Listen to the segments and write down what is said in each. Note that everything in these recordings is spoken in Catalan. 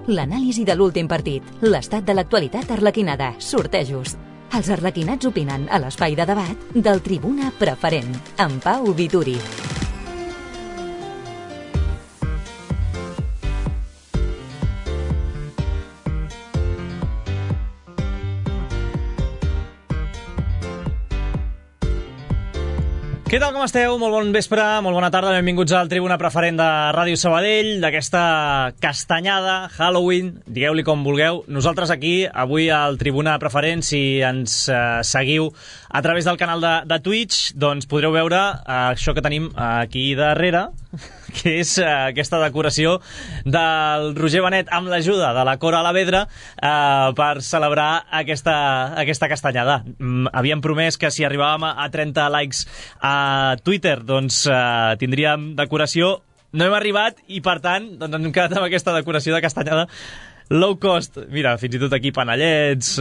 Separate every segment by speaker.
Speaker 1: L'anàlisi de l'últim partit, l'estat de l'actualitat arlequinada, sortejos. Els arlequinats opinen a l'espai de debat del Tribuna Preferent, amb Pau Vituri.
Speaker 2: Què tal, com esteu? Molt bon vespre, molt bona tarda, benvinguts al Tribuna Preferent de Ràdio Sabadell, d'aquesta castanyada, Halloween, digueu-li com vulgueu. Nosaltres aquí, avui al Tribuna Preferent, si ens seguiu a través del canal de Twitch, doncs podreu veure això que tenim aquí darrere, que és aquesta decoració del Roger Benet amb l'ajuda de la Cora Alavedra per celebrar aquesta castanyada. Havíem promès que si arribàvem a 30 likes a Twitter doncs tindríem decoració. No hem arribat i per tant doncs hem quedat amb aquesta decoració de castanyada low cost. Mira, fins i tot aquí panellets.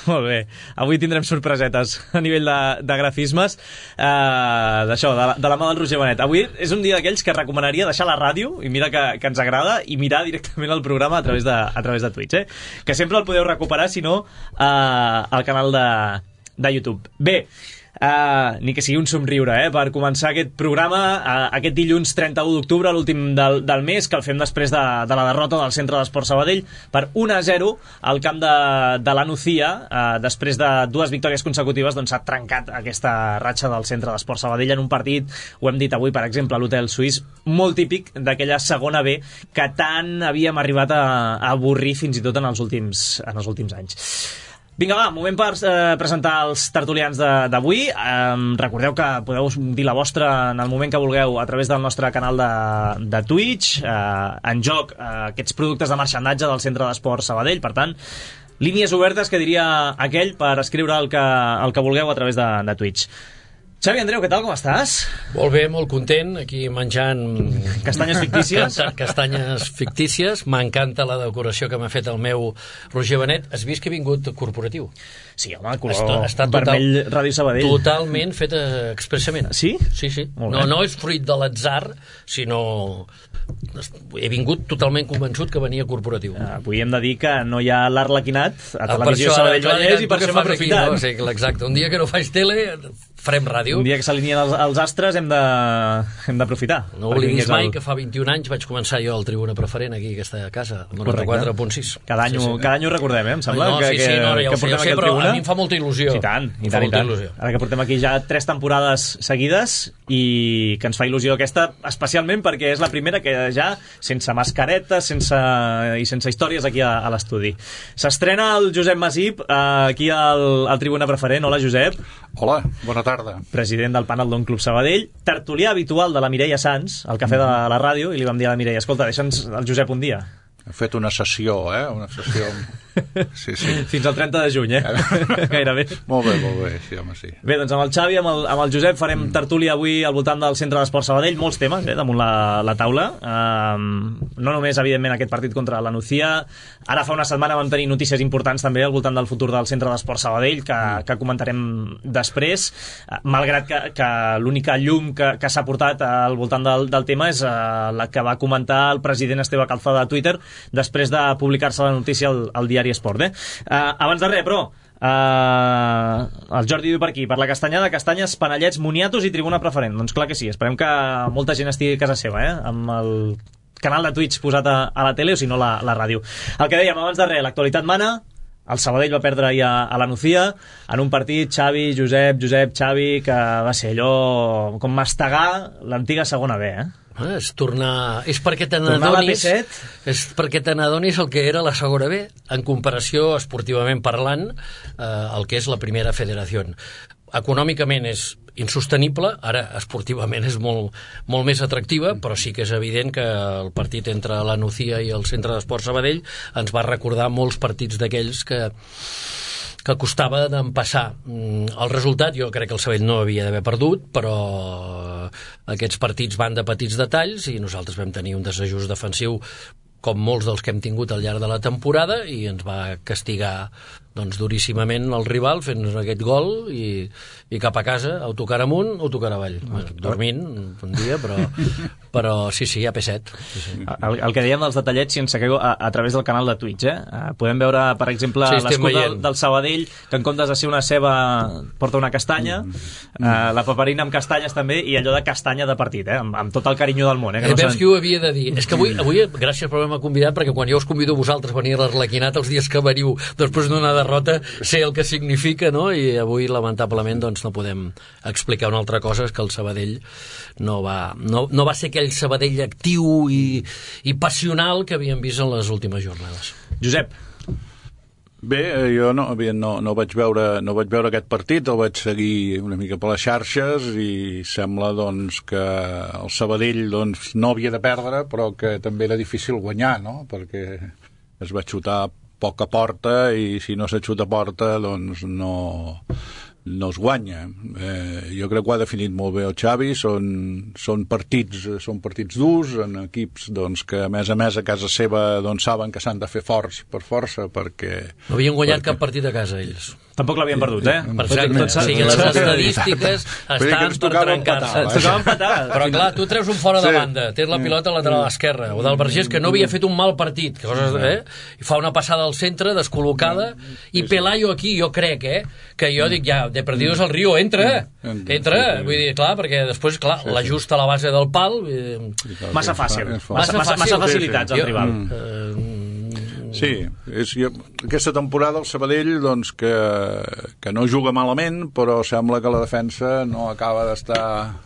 Speaker 2: Molt bé. Avui tindrem sorpresetes a nivell de grafismes d'això, de la mà del Roger Benet. Avui és un dia d'aquells que recomanaria deixar la ràdio, i mira que ens agrada, i mirar directament el programa a través de Twitch, que sempre el podeu recuperar, si no, al canal de YouTube. Bé, ni que sigui un somriure, per començar aquest programa aquest dilluns 31 d'octubre, l'últim del mes, que el fem després de la derrota del Centre d'Esport Sabadell per 1-0 al camp de la Nucía. Després de dues victòries consecutives doncs s'ha trencat aquesta ratxa del Centre d'Esport Sabadell en un partit, ho hem dit avui per exemple a l'Hotel Suís, molt típic d'aquella segona B que tant havíem arribat a avorrir fins i tot en els últims anys. Vinga, va, moment per presentar els tertulians d'avui. Recordeu que podeu dir la vostra en el moment que vulgueu a través del nostre canal de Twitch. En joc aquests productes de marxandatge del Centre d'Esport Sabadell. Per tant, línies obertes, que diria aquell, per escriure el que vulgueu a través de Twitch. Xavi, Andreu, què tal, com estàs?
Speaker 3: Molt bé, molt content, aquí menjant
Speaker 2: castanyes fictícies.
Speaker 3: Castanyes fictícies. M'encanta la decoració que m'ha fet el meu Roger Benet. Has vist que he vingut corporatiu?
Speaker 2: Sí, home, color vermell Ràdio Sabadell.
Speaker 3: Totalment fet expressament.
Speaker 2: Sí?
Speaker 3: Sí. No és fruit de l'atzar, sinó he vingut totalment convençut que venia corporatiu.
Speaker 2: Avui hem de dir que no hi ha l'Arlequinat a Televisió Sabadell Vallès, i per això hem aprofitat.
Speaker 3: Sí, exacte. Un dia que no faig tele farem ràdio.
Speaker 2: Un dia que s'alineen els astres hem d'aprofitar.
Speaker 3: No oblidis mai que fa 21 anys vaig començar jo al Tribuna Preferent aquí, aquesta casa, 94.6.
Speaker 2: Cada any ho recordem, em sembla.
Speaker 3: Que portem aquí al Tribuna. A mi em fa molta il·lusió.
Speaker 2: I tant. Ara que portem aquí ja 3 temporades seguides, i que ens fa il·lusió aquesta, especialment perquè és la primera que ja, sense mascareta, sense històries aquí a l'estudi. S'estrena el Josep Masip aquí al Tribuna Preferent. Hola, Josep.
Speaker 4: Hola, bona tarda.
Speaker 2: President del Panel Don Club Sabadell, tertulià habitual de la Mireia Sans, al cafè de la ràdio, i li vam dir a la Mireia, escolta, deixa'ns el Josep un dia.
Speaker 4: He fet una sessió, una sessió... Sí.
Speaker 2: Fins al 30 de juny, gairebé.
Speaker 4: Molt bé, sí, home, sí.
Speaker 2: Bé, doncs amb el Xavi, amb el Josep, farem tertúlia avui al voltant del Centre d'Esport Sabadell, molts temes, damunt la taula. No només, evidentment, aquest partit contra la Nucía. Ara fa una setmana vam tenir notícies importants també al voltant del futur del Centre d'Esport Sabadell, que comentarem després, malgrat que l'única llum que s'ha portat al voltant del tema és la que va comentar el president Esteve Calzada a Twitter després de publicar-se la notícia al diari Esport. Abans de res, però, el Jordi diu per aquí, per la castanyada, castanyes, panellets, moniatos i Tribuna Preferent. Doncs clar que sí, esperem que molta gent estigui a casa seva, amb el canal de Twitch posat a la tele, o si no la ràdio. El que dèiem abans de res, l'actualitat mana. El Sabadell va perdre ahir a la Nucía en un partit, Josep, Xavi, que va ser allò com mastegar l'antiga segona B,
Speaker 3: és perquè te n'adonis el que era la segona B en comparació, esportivament parlant, el que és la primera federació. Econòmicament és insostenible, ara esportivament és molt més atractiva, però sí que és evident que el partit entre la Nucía i el Centre d'Esport Sabadell ens va recordar molts partits d'aquells que costava d'empassar. El resultat, jo crec que el Sabadell no havia d'haver perdut, però aquests partits van de petits detalls i nosaltres vam tenir un desajust defensiu com molts dels que hem tingut al llarg de la temporada, i ens va castigar doncs duríssimament el rival fent aquest gol i cap a casa, autocar amunt, autocar avall. Dormint un dia, però sí, a P7. Sí.
Speaker 2: El que dèiem dels detallets, si ens segueu a través del canal de Twitch, podem veure, per exemple, l'escut del Sabadell, que en comptes de ser una ceba porta una castanya, la paperina amb castanyes també, i allò de castanya de partit, amb tot el carinyo del món.
Speaker 3: Veus qui ho havia de dir? És que avui gràcies per haver-me convidat, perquè quan jo us convido a vosaltres a venir a l'Arlequinat els dies que veniu després d'una derrota, sé el que significa, no? I avui, lamentablement, doncs no podem explicar una altra cosa, és que el Sabadell no va ser aquell Sabadell actiu i passional que havíem vist en les últimes jornades.
Speaker 2: Josep.
Speaker 4: Bé, jo no vaig veure aquest partit, el vaig seguir una mica per les xarxes i sembla doncs que el Sabadell doncs no havia de perdre, però que també era difícil guanyar, no? Perquè es va xutar poca porta i si no se xuta porta doncs no es guanya. Jo crec que ho ha definit molt bé el Xavi, són partits durs en equips doncs, que a més a casa seva doncs, saben que s'han de fer forts per força perquè...
Speaker 3: No havien guanyat cap partit a casa ells.
Speaker 2: Tampoc l'havien perdut,
Speaker 3: Per cert, les estadístiques estan per trencar-se. Però clar, tu treus un fora de banda, tens la pilota a lateral esquerra, o del Vergés, que no havia fet un mal partit, i fa una passada al centre, descol·locada, i Pelayo aquí, jo crec, que jo dic ja, de perdidos al Río, entra, vull dir, clar, perquè després, clar, l'ajust a la base del pal...
Speaker 2: Massa fàcil, massa facilitats al rival.
Speaker 4: Sí, aquesta temporada el Sabadell doncs, que no juga malament, però sembla que la defensa no acaba d'estar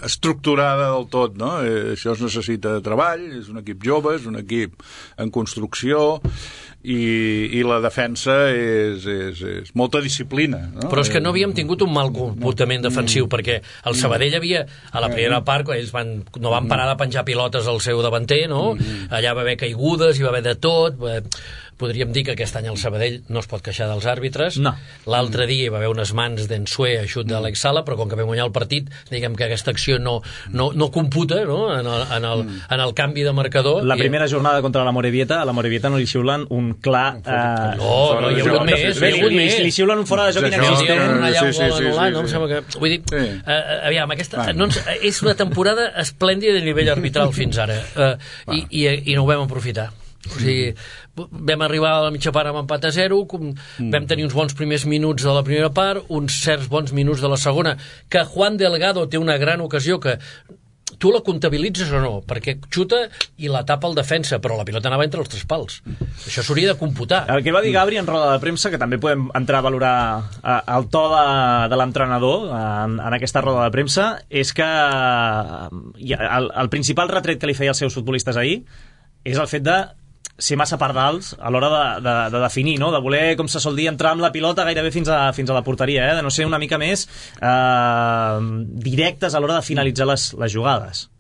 Speaker 4: estructurada del tot, no? Això es necessita de treball, és un equip jove, és un equip en construcció i la defensa és molta disciplina, no?
Speaker 3: Però és que no havíem tingut un mal comportament defensiu, perquè el Sabadell havia, a la primera part, quan ells no van parar de penjar pilotes al seu davanter, no? Allà va haver caigudes, hi va haver de tot. Podríem dir que aquest any el Sabadell no es pot queixar dels àrbitres.
Speaker 2: No.
Speaker 3: L'altre dia hi va haver unes mans d'Ensue a xut d'Àlex Sala, però com que vam guanyar el partit, diguem que aquesta acció no computa, no? En el canvi de marcador.
Speaker 2: La primera jornada contra la Morevieta, a la Morevieta no li xiulen un clar...
Speaker 3: No, hi ha hagut més.
Speaker 2: Li xiulen un fora de joc inexistent.
Speaker 3: Vull dir, aviam, aquesta és una temporada esplèndida de nivell arbitral fins ara, i no ho vam aprofitar. O sigui, vam arribar a la mitja part amb empat a 0, vam tenir uns bons primers minuts de la primera part, uns certs bons minuts de la segona, que Juan Delgado té una gran ocasió que tu la comptabilitzes o no, perquè xuta i la tapa el defensa, però la pilota anava entre els tres pals. Això s'hauria de computar.
Speaker 2: El que va dir Gabri en roda de premsa, que també podem entrar a valorar el to de l'entrenador en aquesta roda de premsa, és que el principal retret que li feia als seus futbolistes ahir és el fet de ser massa pardals a l'hora de definir, no? De voler, com se sol dir, entrar amb la pilota gairebé fins a la porteria, de no ser una mica més directes a l'hora de finalitzar les jugades.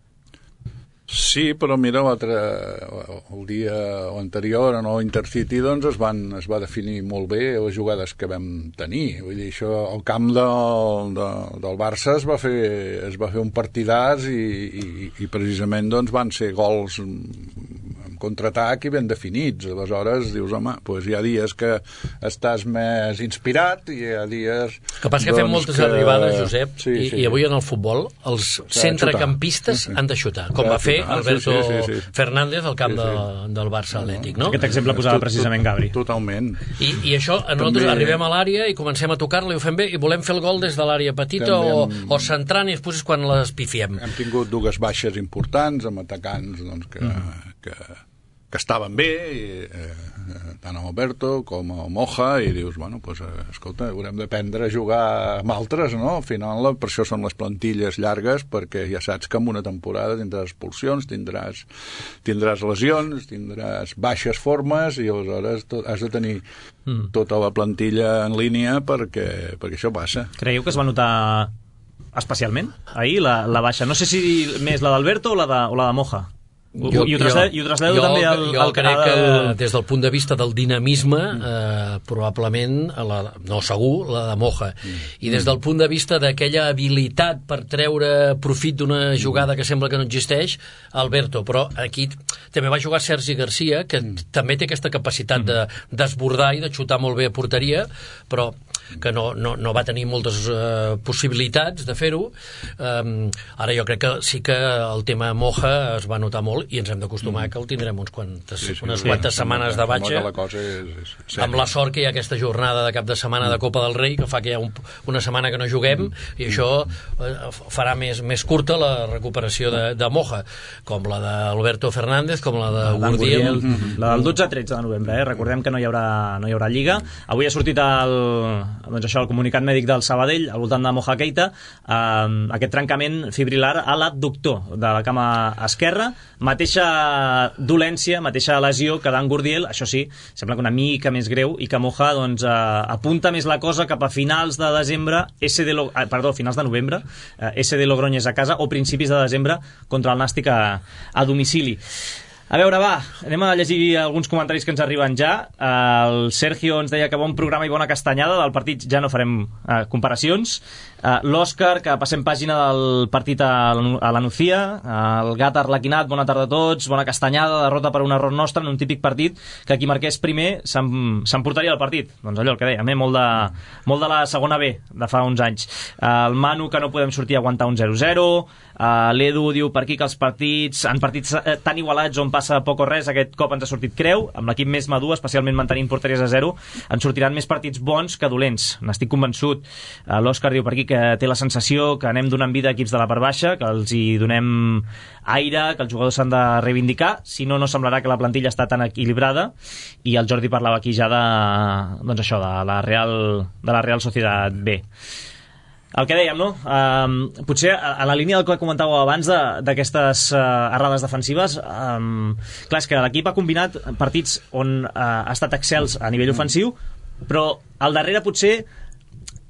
Speaker 4: Sí, però mira, el dia anterior en l'Intercity doncs es va definir molt bé les jugades que vam tenir. Vull dir, això, el camp del Barça es va fer un partidàs i precisament doncs van ser gols contraatac i ben definits. Aleshores dius, home, doncs hi ha dies que estàs més inspirat i hi ha dies...
Speaker 3: Que passa que fem moltes arribades, Josep, i avui en el futbol els centrecampistes han de xutar, com va fer Alberto Fernández al camp del Barça Atlètic, no?
Speaker 2: Aquest exemple posava precisament Gabri.
Speaker 4: Totalment.
Speaker 3: I això, nosaltres arribem a l'àrea i comencem a tocar-la i ho fem bé i volem fer el gol des de l'àrea petita o centrant i després quan les pifiem.
Speaker 4: Hem tingut dues baixes importants amb atacants doncs, que estaven bé, tant a Alberto com a Moja, i dius, bueno, doncs, escolta, haurem d'aprendre a jugar amb altres, no? Al final, per això són les plantilles llargues, perquè ja saps que en una temporada tindràs expulsions, tindràs lesions, tindràs baixes formes, i aleshores has de tenir tota la plantilla en línia perquè això passa.
Speaker 2: Creieu que es va notar especialment ahir la baixa? No sé si més la d'Alberto o la de Moja. I ho trasllado també al
Speaker 3: crec que des del punt de vista del dinamisme probablement segur la de Moja, i des del punt de vista d'aquella habilitat per treure profit d'una jugada que sembla que no existeix, Alberto. Però aquí també va jugar Sergi Garcia, que també té aquesta capacitat de desbordar i de xutar molt bé a porteria, però que no va tenir moltes possibilitats de fer-ho. Ara jo crec que sí que el tema Moja es va notar molt, i ens hem d'acostumar que el tindrem unes quantes setmanes de batxa, amb la sort que hi ha aquesta jornada de cap de setmana de Copa del Rei, que fa que hi ha una setmana que no juguem, i això farà més curta la recuperació de Moja, com la d'Alberto Fernández, com la de Gurdiel.
Speaker 2: La del 12-13 de novembre, recordem que no hi haurà Lliga. Avui ha sortit el comunicat mèdic del Sabadell al voltant de Moja Keita, aquest trencament fibrilar a l'abductor de la cama esquerra, mateixa dolència, mateixa lesió que d'en Gurdiel. Això sí, sembla que una mica més greu, i que Moja apunta més la cosa cap a finals de desembre, finals de novembre, SD Logroñés a casa, o principis de desembre contra el Nàstic a domicili. A veure, va, anem a llegir alguns comentaris que ens arriben ja. El Sergio ens deia que bon programa i bona castanyada. Del partit ja no farem comparacions. L'Òscar, que passem pàgina del partit a la Nucía. El Gat Arlequinat, bona tarda a tots, bona castanyada, derrota per un error nostre en un típic partit que qui marqués primer s'emportaria el partit. Doncs allò, el que dèiem, molt de la segona B de fa uns anys. El Manu, que no podem sortir a aguantar un 0-0. L'Edu diu per aquí que els partits tan igualats on passa poc o res, aquest cop ens ha sortit creu, amb l'equip més madur, especialment mantenint porteries a 0, ens sortiran més partits bons que dolents, n'estic convençut. L'Òscar diu per aquí que té la sensació que anem donant vida a equips de la part baixa, que els hi donem aire, que els jugadors s'han de reivindicar, si no semblarà que la plantilla està tan equilibrada. I el Jordi parlava aquí ja de la Real Sociedad B. El que dèiem, no? Potser a la línia del que comentàveu abans d'aquestes errades defensives, clar, és que l'equip ha combinat partits on ha estat excels a nivell ofensiu, però al darrere potser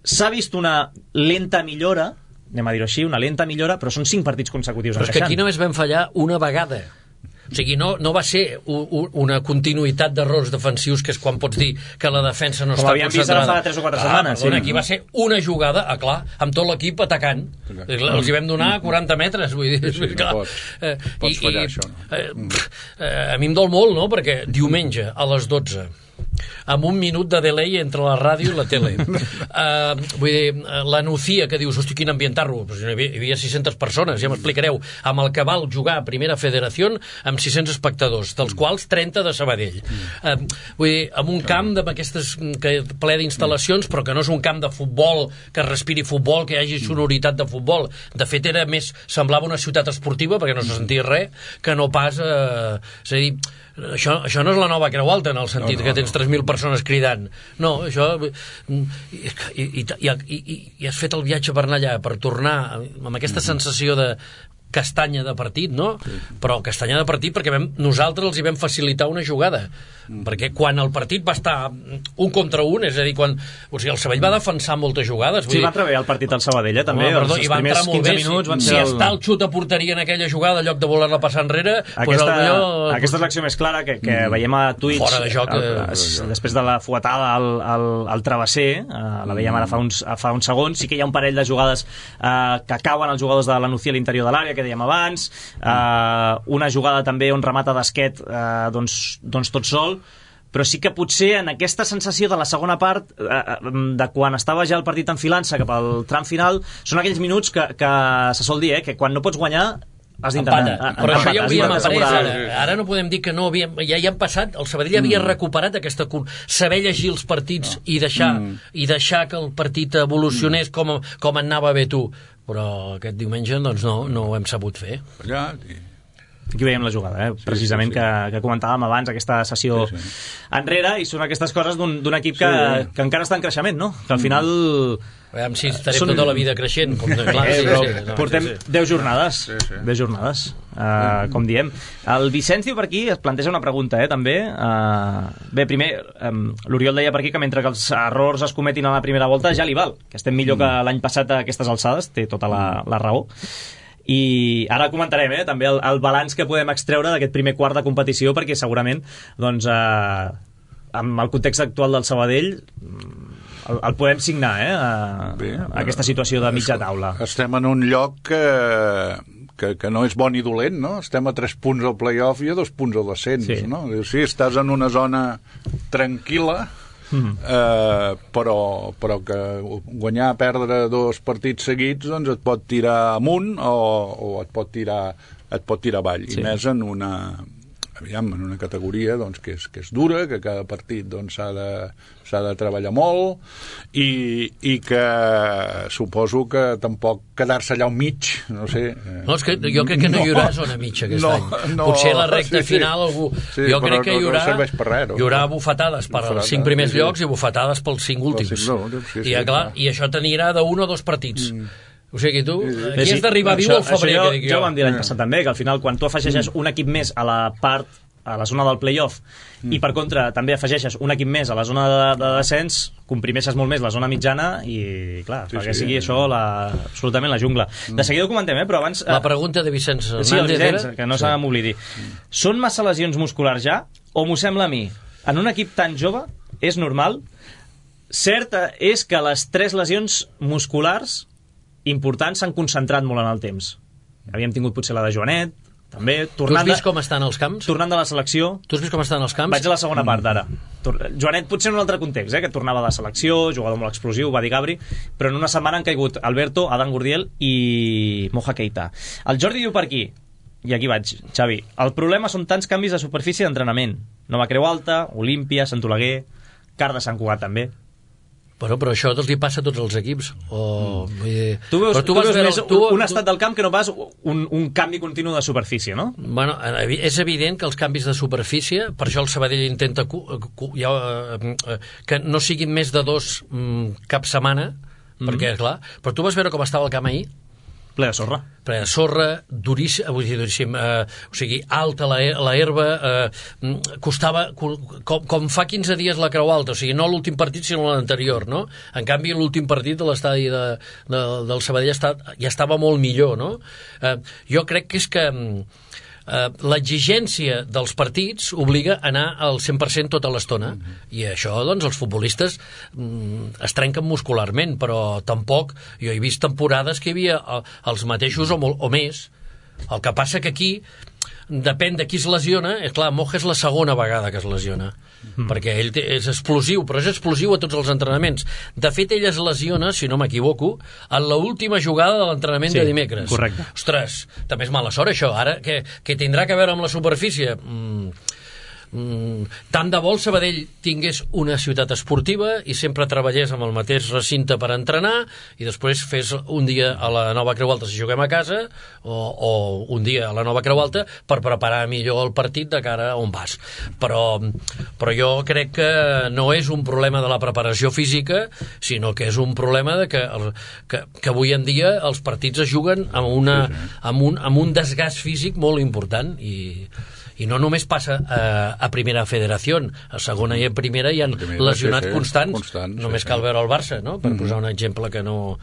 Speaker 2: s'ha vist una lenta millora, anem a dir-ho així, una lenta millora, però són 5 partits consecutius
Speaker 3: encaixant. Però és que aquí només vam fallar una vegada. O sigui, no va ser una continuïtat d'errors defensius, que és quan pots dir que la defensa no està concentrada. Com havíem vist ara fa 3 o 4 setmanes. Aquí va ser una jugada, clar, amb tot l'equip atacant. Els hi vam donar 40 metres, vull dir.
Speaker 4: Pots fallar això, no?
Speaker 3: A mi em dol molt, no?, perquè diumenge a les 12, amb un minut de delay entre la ràdio i la tele. Vull dir, la Nucía, que dius, hosti, quin ambientar-lo, hi havia 600 persones, ja m'explicareu, amb el que val jugar a Primera Federació amb 600 espectadors, dels quals 30 de Sabadell. Vull dir, amb un camp d'aquestes ple d'instal·lacions, però que no és un camp de futbol, que respiri futbol, que hi hagi sonoritat de futbol. De fet, semblava una ciutat esportiva, perquè no se sentia res, que no pas... És a dir, això no és la nova Creu Alta, en el sentit que tens 3.000 persones cridant. No, això... I has fet el viatge per anar allà, per tornar amb aquesta sensació de castanya de partit, no? Però castanya de partit perquè nosaltres els hi vam facilitar una jugada, perquè quan el partit va estar 1 contra 1, és a dir, quan el Sabadell va defensar moltes jugades...
Speaker 2: Sí, va entrar bé el partit al Sabadell, també.
Speaker 3: I va entrar molt bé. Si està el xut a porteria en aquella jugada, en lloc de voler-la passar enrere...
Speaker 2: Aquesta és l'acció més clara que veiem a Twitch.
Speaker 3: Fora de joc.
Speaker 2: Després de la fuetada al travesser, la veiem ara fa uns segons. Sí que hi ha un parell de jugades que cauen els jugadors de la Nucía a l'interior de l'àrea, que dèiem abans, una jugada també on remata d'esquet doncs tot sol, però sí que potser en aquesta sensació de la segona part, de quan estava ja el partit enfilant-se cap al tram final, són aquells minuts que se sol dir, que quan no pots guanyar has d'intentar.
Speaker 3: Però això ja ho havíem après, ara no podem dir que no havíem... Ja han passat, el Sabadell havia recuperat aquesta... saber llegir els partits i deixar que el partit evolucionés com anava bé tu. Però aquest diumenge doncs no ho hem sabut fer.
Speaker 2: Aquí veiem la jugada, precisament, que comentàvem abans, aquesta sessió enrere, i són aquestes coses d'un equip que encara està en creixement, no? Que al final...
Speaker 3: Veiem si estarem tota la vida creixent.
Speaker 2: Portem 10 jornades, 10 jornades, com diem. El Vicenç diu per aquí, es planteja una pregunta, també. Bé, primer, l'Oriol deia per aquí que mentre que els errors es cometin a la primera volta ja li val, que estem millor que l'any passat a aquestes alçades, té tota la raó. i ara comentarem també el balanç que podem extreure d'aquest primer quart de competició, perquè segurament doncs, amb el context actual del Sabadell el podem signar aquesta situació de mitja taula.
Speaker 4: Estem en un lloc que no és bon i dolent, no? Estem a 3 punts al play-off i a 2 punts al descens, sí. No? Sí, estàs en una zona tranquil·la, però que guanyar, perdre 2 partits seguits doncs et pot tirar amunt o et pot tirar avall, sí. I més en una categoria doncs, que és dura, que cada partit doncs, s'ha de treballar molt i que suposo que tampoc quedar-se allà al mig, no sé.
Speaker 3: No, és que jo crec que no hi haurà zona mitja aquest any. Potser a la recta final algú...
Speaker 4: Sí,
Speaker 3: jo crec que
Speaker 4: no serveix per res.
Speaker 3: Hi haurà bufetades per als 5 primers llocs i bufetades pels 5 últims. I això t'anirà d'1 o 2 partits. O sigui, tu aquí has d'arribar viu al febrer, que dic jo.
Speaker 2: Ja ho vam dir l'any passat també, que al final quan tu afegeixes un equip més a la zona del play-off i per contra també afegeixes un equip més a la zona de descens, comprimeixes molt més la zona mitjana i clar, perquè sigui això absolutament la jungla. De seguida ho comentem, però abans...
Speaker 3: La pregunta de Vicenç
Speaker 2: Hernández. Sí, el Vicenç, que no se m'oblidi. Són massa lesions musculars ja? O m'ho sembla a mi? En un equip tan jove és normal? Cert és que les 3 lesions musculars importants s'han concentrat molt en el temps. Havíem tingut potser la de Joanet, també.
Speaker 3: Tu has vist com estan els camps?
Speaker 2: Tornant de la selecció.
Speaker 3: Tu has vist com estan els camps?
Speaker 2: Vaig a la segona part ara. Joanet potser en un altre context, que tornava de la selecció, jugador molt explosiu, va dir Gabri, però en una setmana han caigut Alberto, Adán Gurdiel i Moja Keita. El Jordi diu per aquí, i aquí vaig, Xavi, el problema són tants canvis de superfície d'entrenament. Nova Creu Alta, Olímpia, Sant Oleguer, Car de Sant Cugat també.
Speaker 3: Però això li passa a tots els equips.
Speaker 2: Tu veus un estat del camp que no pas un canvi continu de superfície, no?
Speaker 3: Bueno, és evident que els canvis de superfície, per això el Sabadell intenta que no siguin més de 2 cap setmana, perquè, clar, però tu vas veure com estava el camp ahir?
Speaker 2: Ple de sorra.
Speaker 3: Ple de sorra, duríssim, o sigui, alta la herba, costava, com fa 15 dies la Creu Alta, o sigui, no l'últim partit sinó l'anterior, no? En canvi, l'últim partit de l'estadi del Sabadell ja estava molt millor, no? Jo crec que és que l'exigència dels partits obliga a anar al 100% tota l'estona, i això, doncs, els futbolistes es trenquen muscularment, però tampoc, jo he vist temporades que hi havia els mateixos o més. El que passa que aquí depèn de qui es lesiona. Clar, Moja és la segona vegada que es lesiona, perquè ell és explosiu, però és explosiu a tots els entrenaments. De fet, ell es lesiona, si no m'equivoco, en l'última jugada de l'entrenament de dimecres.
Speaker 2: Correcte.
Speaker 3: Ostres, també és mala sort això. Ara, que tindrà que veure amb la superfície... tant de bo el Sabadell tingués una ciutat esportiva i sempre treballés amb el mateix recinte per entrenar i després fes un dia a la Nova Creu Alta si juguem a casa o un dia a la Nova Creu Alta per preparar millor el partit de cara a on vas, però jo crec que no és un problema de la preparació física, sinó que és un problema de que avui en dia els partits es juguen amb un desgast físic molt important i no només passa a primera federació, a segona i a primera hi ha lesionats constants, només cal veure el Barça, no? Per posar un exemple que no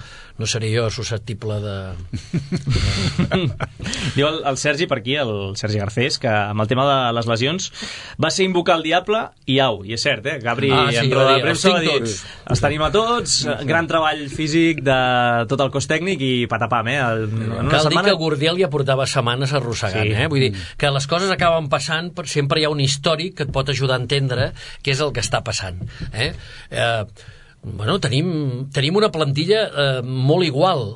Speaker 3: seria jo susceptible de...
Speaker 2: Diu el Sergi per aquí, el Sergi Garcés, que amb el tema de les lesions va ser invocar el diable i au, i és cert, Gabri en roda de premsa va dir els tenim a tots, gran treball físic de tot el cos tècnic i patapam,
Speaker 3: Cal dir que Gurdiel ja portava setmanes arrossegant, vull dir que les coses acaben passant, però sempre hi ha un històric que et pot ajudar a entendre què és el que està passant. Bueno, tenim una plantilla molt igual,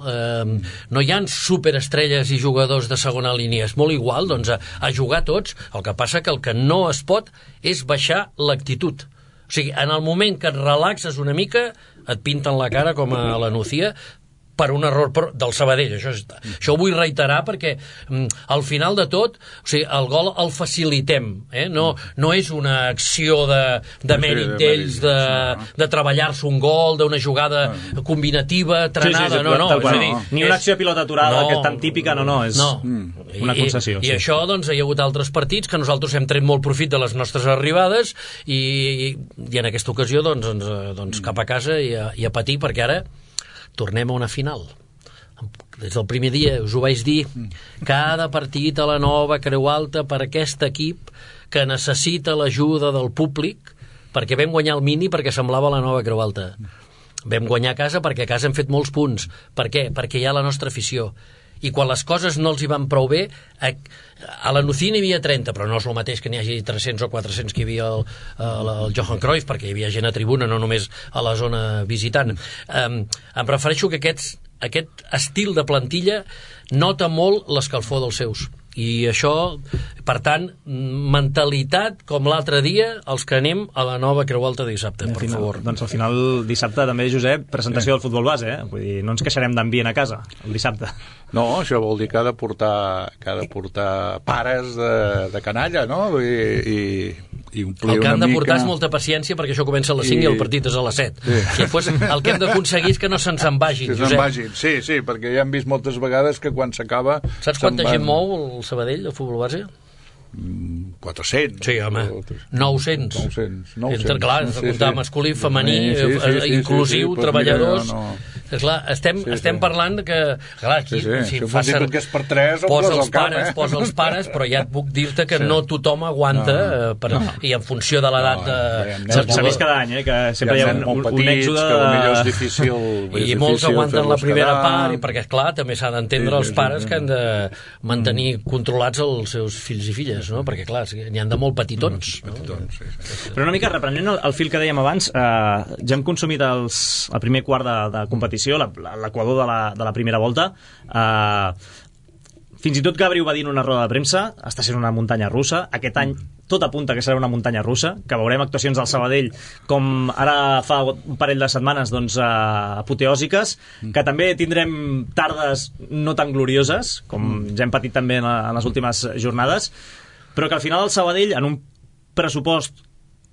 Speaker 3: no hi ha superestrelles i jugadors de segona línia, és molt igual, doncs a jugar tots. El que passa que el que no es pot és baixar l'actitud. O sigui, en el moment que et relaxes una mica et pinten la cara com a la Nucía per un error del Sabadell. Això ho vull reiterar perquè al final de tot, o sigui, el gol el facilitem, no és una acció de mèrit d'ells de treballar-se un gol, d'una jugada combinativa, trenada, no.
Speaker 2: Ni una acció de pilota aturada que és tan típica, no, és una concessió.
Speaker 3: I això, doncs, hi ha hagut altres partits que nosaltres hem tret molt profit de les nostres arribades i en aquesta ocasió, doncs cap a casa i a patir, perquè ara tornem a una final. des del primer dia us ho vaig dir, cada partit a la Nova Creu Alta per aquest equip que necessita l'ajuda del públic, perquè vam guanyar el Mini perquè semblava la Nova Creu Alta. Vam guanyar a casa perquè a casa hem fet molts punts. Per què? Perquè hi ha la nostra afició. I quan les coses no els hi van prou bé, a la Nucía n'hi havia 30, però no és el mateix que n'hi hagi 300 o 400 que hi havia el Johan Cruyff, perquè hi havia gent a tribuna, no només a la zona visitant. Em refereixo que aquest estil de plantilla nota molt l'escalfor dels seus. I això, per tant, mentalitat com l'altre dia, els que anem a la Nova Creu Alta dissabte, per favor.
Speaker 2: Doncs al final, dissabte també, Josep, presentació del futbol base, Vull dir, no ens queixarem d'ambient a casa, el dissabte.
Speaker 4: No, això vol dir que ha de portar pares de canalla, no? I omplir
Speaker 3: el que han de portar
Speaker 4: mica...
Speaker 3: és molta paciència, perquè això comença a les 5 i el partit és a les 7. Sí. I després el que hem d'aconseguir és que no se'ns en vagin, Josep.
Speaker 4: Sí, perquè ja hem vist moltes vegades que quan s'acaba...
Speaker 3: Saps quanta gent mou el Sabadell, el futbol base?
Speaker 4: 400.
Speaker 3: Sí, home. 900. Clar, has de comptar masculí, femení, inclusiu, treballadors... Esclar, estem parlant que... Clar, aquí,
Speaker 4: si fa ser... que és per 3,
Speaker 3: posa els pares, però ja et puc dir-te que no tothom aguanta, i en funció de l'edat...
Speaker 2: S'ha vist cada any, que sempre hi ha un èxode...
Speaker 4: que potser és difícil...
Speaker 3: I molts aguanten la primera part, perquè, esclar, també s'ha d'entendre els pares que han de mantenir controlats els seus fills i filles, no? Perquè, clar, n'hi han de molt petitons.
Speaker 2: Però una mica, reprenent el fil que dèiem abans, ja hem consumit el primer quart de competició, l'equador de la primera volta. Fins i tot Gabriel va dir en una roda de premsa, està sent una muntanya russa. Aquest any tot apunta que serà una muntanya russa, que veurem actuacions del Sabadell com ara fa un parell de setmanes, doncs, apoteòsiques, que també tindrem tardes no tan glorioses, com ja hem patit també en les últimes jornades, però que al final el Sabadell, en un pressupost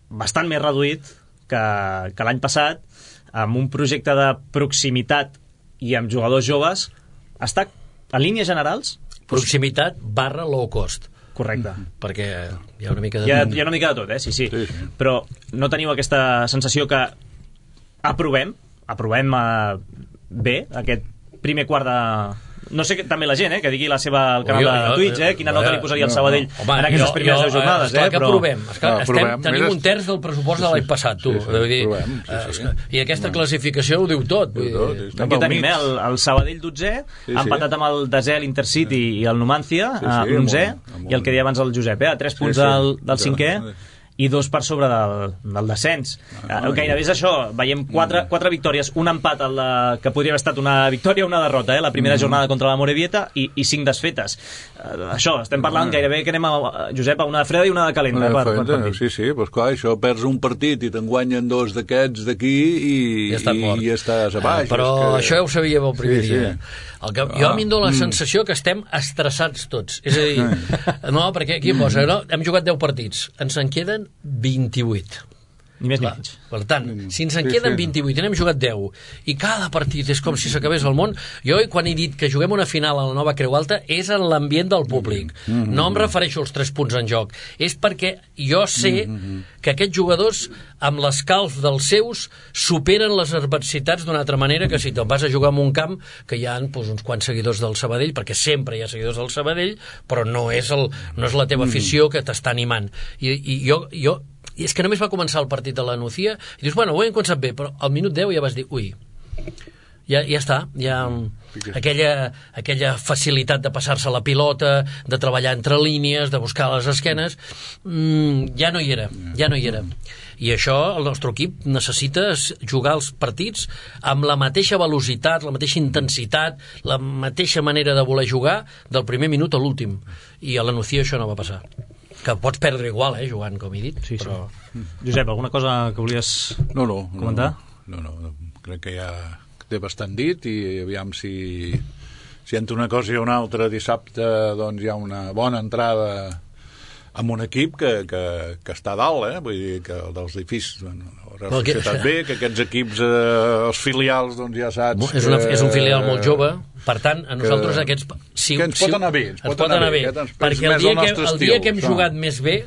Speaker 2: bastant més reduït que l'any passat, amb un projecte de proximitat i amb jugadors joves, està en línies generals...
Speaker 3: Proximitat / low cost.
Speaker 2: Correcte.
Speaker 3: Perquè hi ha una mica de...
Speaker 2: Hi ha una mica de tot, sí. Però no teniu aquesta sensació que aprovem bé aquest primer quart de... No sé, també la gent, que digui la seva al canal de Twitch, quina nota li posaria al Sabadell en aquestes primeres 10 jornades.
Speaker 3: Esclar que provem. Tenim un terç del pressupost de l'any passat, tu. I aquesta classificació ho diu tot.
Speaker 2: Aquí tenim el Sabadell 12è, empatat amb el desè, l'Intercity i el Numancia, l'11è, i el que deia abans el Josep, a 3 punts del 5è, i 2 per sobre del descens. Gairebé és això, veiem 4 victòries, un empat que podria haver estat una victòria o una derrota, la primera jornada contra la Morevieta, i 5 desfetes. Això, estem parlant gairebé que anem, Josep, a una de freda i una de calenta.
Speaker 4: Sí, doncs clar, això perds un partit i te'n guanyen 2 d'aquests d'aquí i estàs a baix.
Speaker 3: Però això ja ho sabíem el primer dia. Jo m'hi dono la sensació que estem estressats tots. És a dir, no, perquè aquí posa, hem jugat 10 partits, ens en queden 28.
Speaker 2: Ni més ni menys.
Speaker 3: Per tant, si ens en queden 28 i n'hem jugat 10 i cada partit és com si s'acabés el món, jo quan he dit que juguem una final a la Nova Creu Alta és en l'ambient del públic. No em refereixo als 3 punts en joc. És perquè jo sé que aquests jugadors, amb l'escalf dels seus, superen les adversitats d'una altra manera que si te'n vas a jugar en un camp que hi ha uns quants seguidors del Sabadell, perquè sempre hi ha seguidors del Sabadell, però no és la teva afició que t'està animant. I és que només va començar el partit de la Nucía i dius, bueno, ho hem començat bé, però al minut 10 ja vas dir, ui, ja està, ja aquella facilitat de passar-se la pilota, de treballar entre línies, de buscar les esquenes, ja no hi era. I això el nostre equip necessita jugar els partits amb la mateixa velocitat, la mateixa intensitat, la mateixa manera de voler jugar del primer minut a l'últim. I a la Nucía això no va passar. Que pots perdre igual, jugant, com he dit. Però...
Speaker 2: Josep, alguna cosa que volies comentar?
Speaker 4: No, crec que ja té bastant dit i aviam si entre una cosa i una altra dissabte doncs hi ha una bona entrada amb un equip que està a dalt, vull dir que dels edificis que aquests equips, els filials, doncs ja saps...
Speaker 3: És un filial molt jove, Per tant, a nosaltres aquests...
Speaker 4: Que ens pot anar bé.
Speaker 3: Ens pot anar bé, perquè el dia que hem jugat més bé,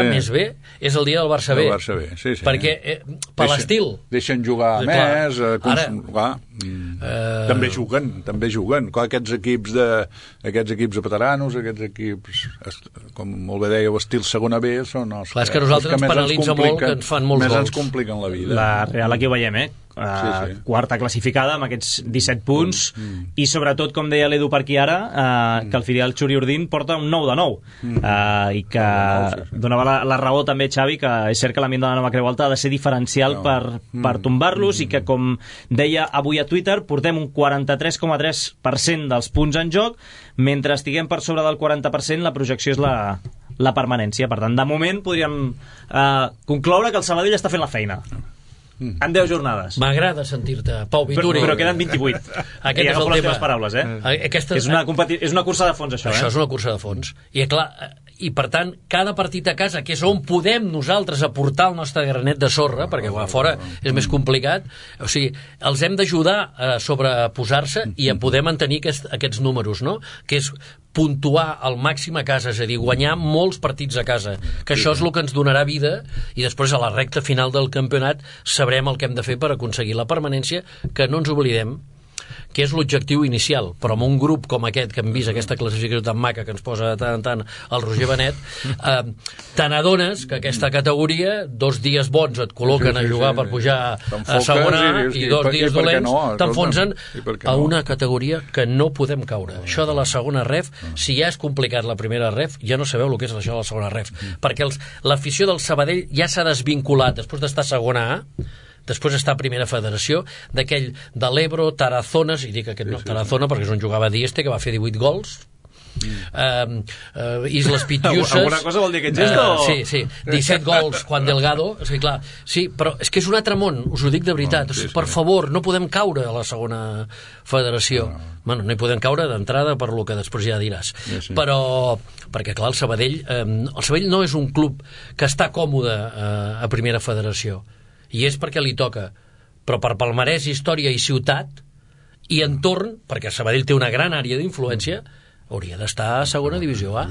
Speaker 3: més bé, és el dia del Barça B. Perquè, per l'estil...
Speaker 4: Deixen jugar més... També juguen. Aquests equips de veteranos, aquests equips, com molt bé dèieu, estil segona B, són els
Speaker 3: que... Clar, és que nosaltres ens penalitza molt, que ens fan molts gols.
Speaker 4: Més ens compliquen la vida.
Speaker 2: La Real aquí ho veiem, quarta classificada amb aquests 17 punts i sobretot, com deia l'Edu per aquí ara, que el filial Xuriurdin porta un 9 de 9 i que donava la raó també, Xavi, que és cert que l'ambient de la nova Creu Alta ha de ser diferencial per tombar-los i que, com deia avui a Twitter, portem un 43,3% dels punts en joc, mentre estiguem per sobre del 40% la projecció és la permanència. Per tant, de moment podríem concloure que el Sabadell està fent la feina en 10 jornades.
Speaker 3: M'agrada sentir-te, Pau Vituri.
Speaker 2: Però queden 28.
Speaker 3: Aquest és el tema.
Speaker 2: Paraules, és una cursa de fons, això.
Speaker 3: Això és una cursa de fons. I per tant, cada partit a casa, que és on podem nosaltres aportar el nostre granet de sorra, perquè a fora és més complicat, o sigui, els hem d'ajudar a sobreposar-se i a poder mantenir aquests números, no? Que és puntuar al màxim a casa, és a dir, guanyar molts partits a casa, que això és el que ens donarà vida, i després a la recta final del campionat sabrem el que hem de fer per aconseguir la permanència, que no ens oblidem que és l'objectiu inicial, però amb un grup com aquest que hem vist, aquesta classificació tan maca que ens posa de tant en tant el Roger Benet, te n'adones que aquesta categoria, 2 dies bons et col·loquen a jugar per pujar a segona i 2 dies dolents t'enfonsen a una categoria que no podem caure. Això de la segona ref, si ja és complicat la primera ref, ja no sabeu el que és això de la segona ref, perquè l'afició del Sabadell ja s'ha desvinculat després d'estar a segona A, després està a Primera Federació, d'aquell de l'Ebro, Tarazones, i dic aquest no, Tarazona perquè és on jugava Dieste, que va fer 18 gols, Islas Pitiusas...
Speaker 2: Alguna cosa vol dir aquest gest?
Speaker 3: Sí, 17 gols, Juan Delgado, sí, clar, sí, però és que és un altre món, us ho dic de veritat, per favor, no podem caure a la segona federació. Bueno, no hi podem caure d'entrada per lo que després ja diràs. Però, perquè clar, el Sabadell no és un club que està còmode a Primera Federació, i és perquè li toca, però per palmarès, història i ciutat i entorn, perquè Sabadell té una gran àrea d'influència, hauria d'estar a segona divisió A.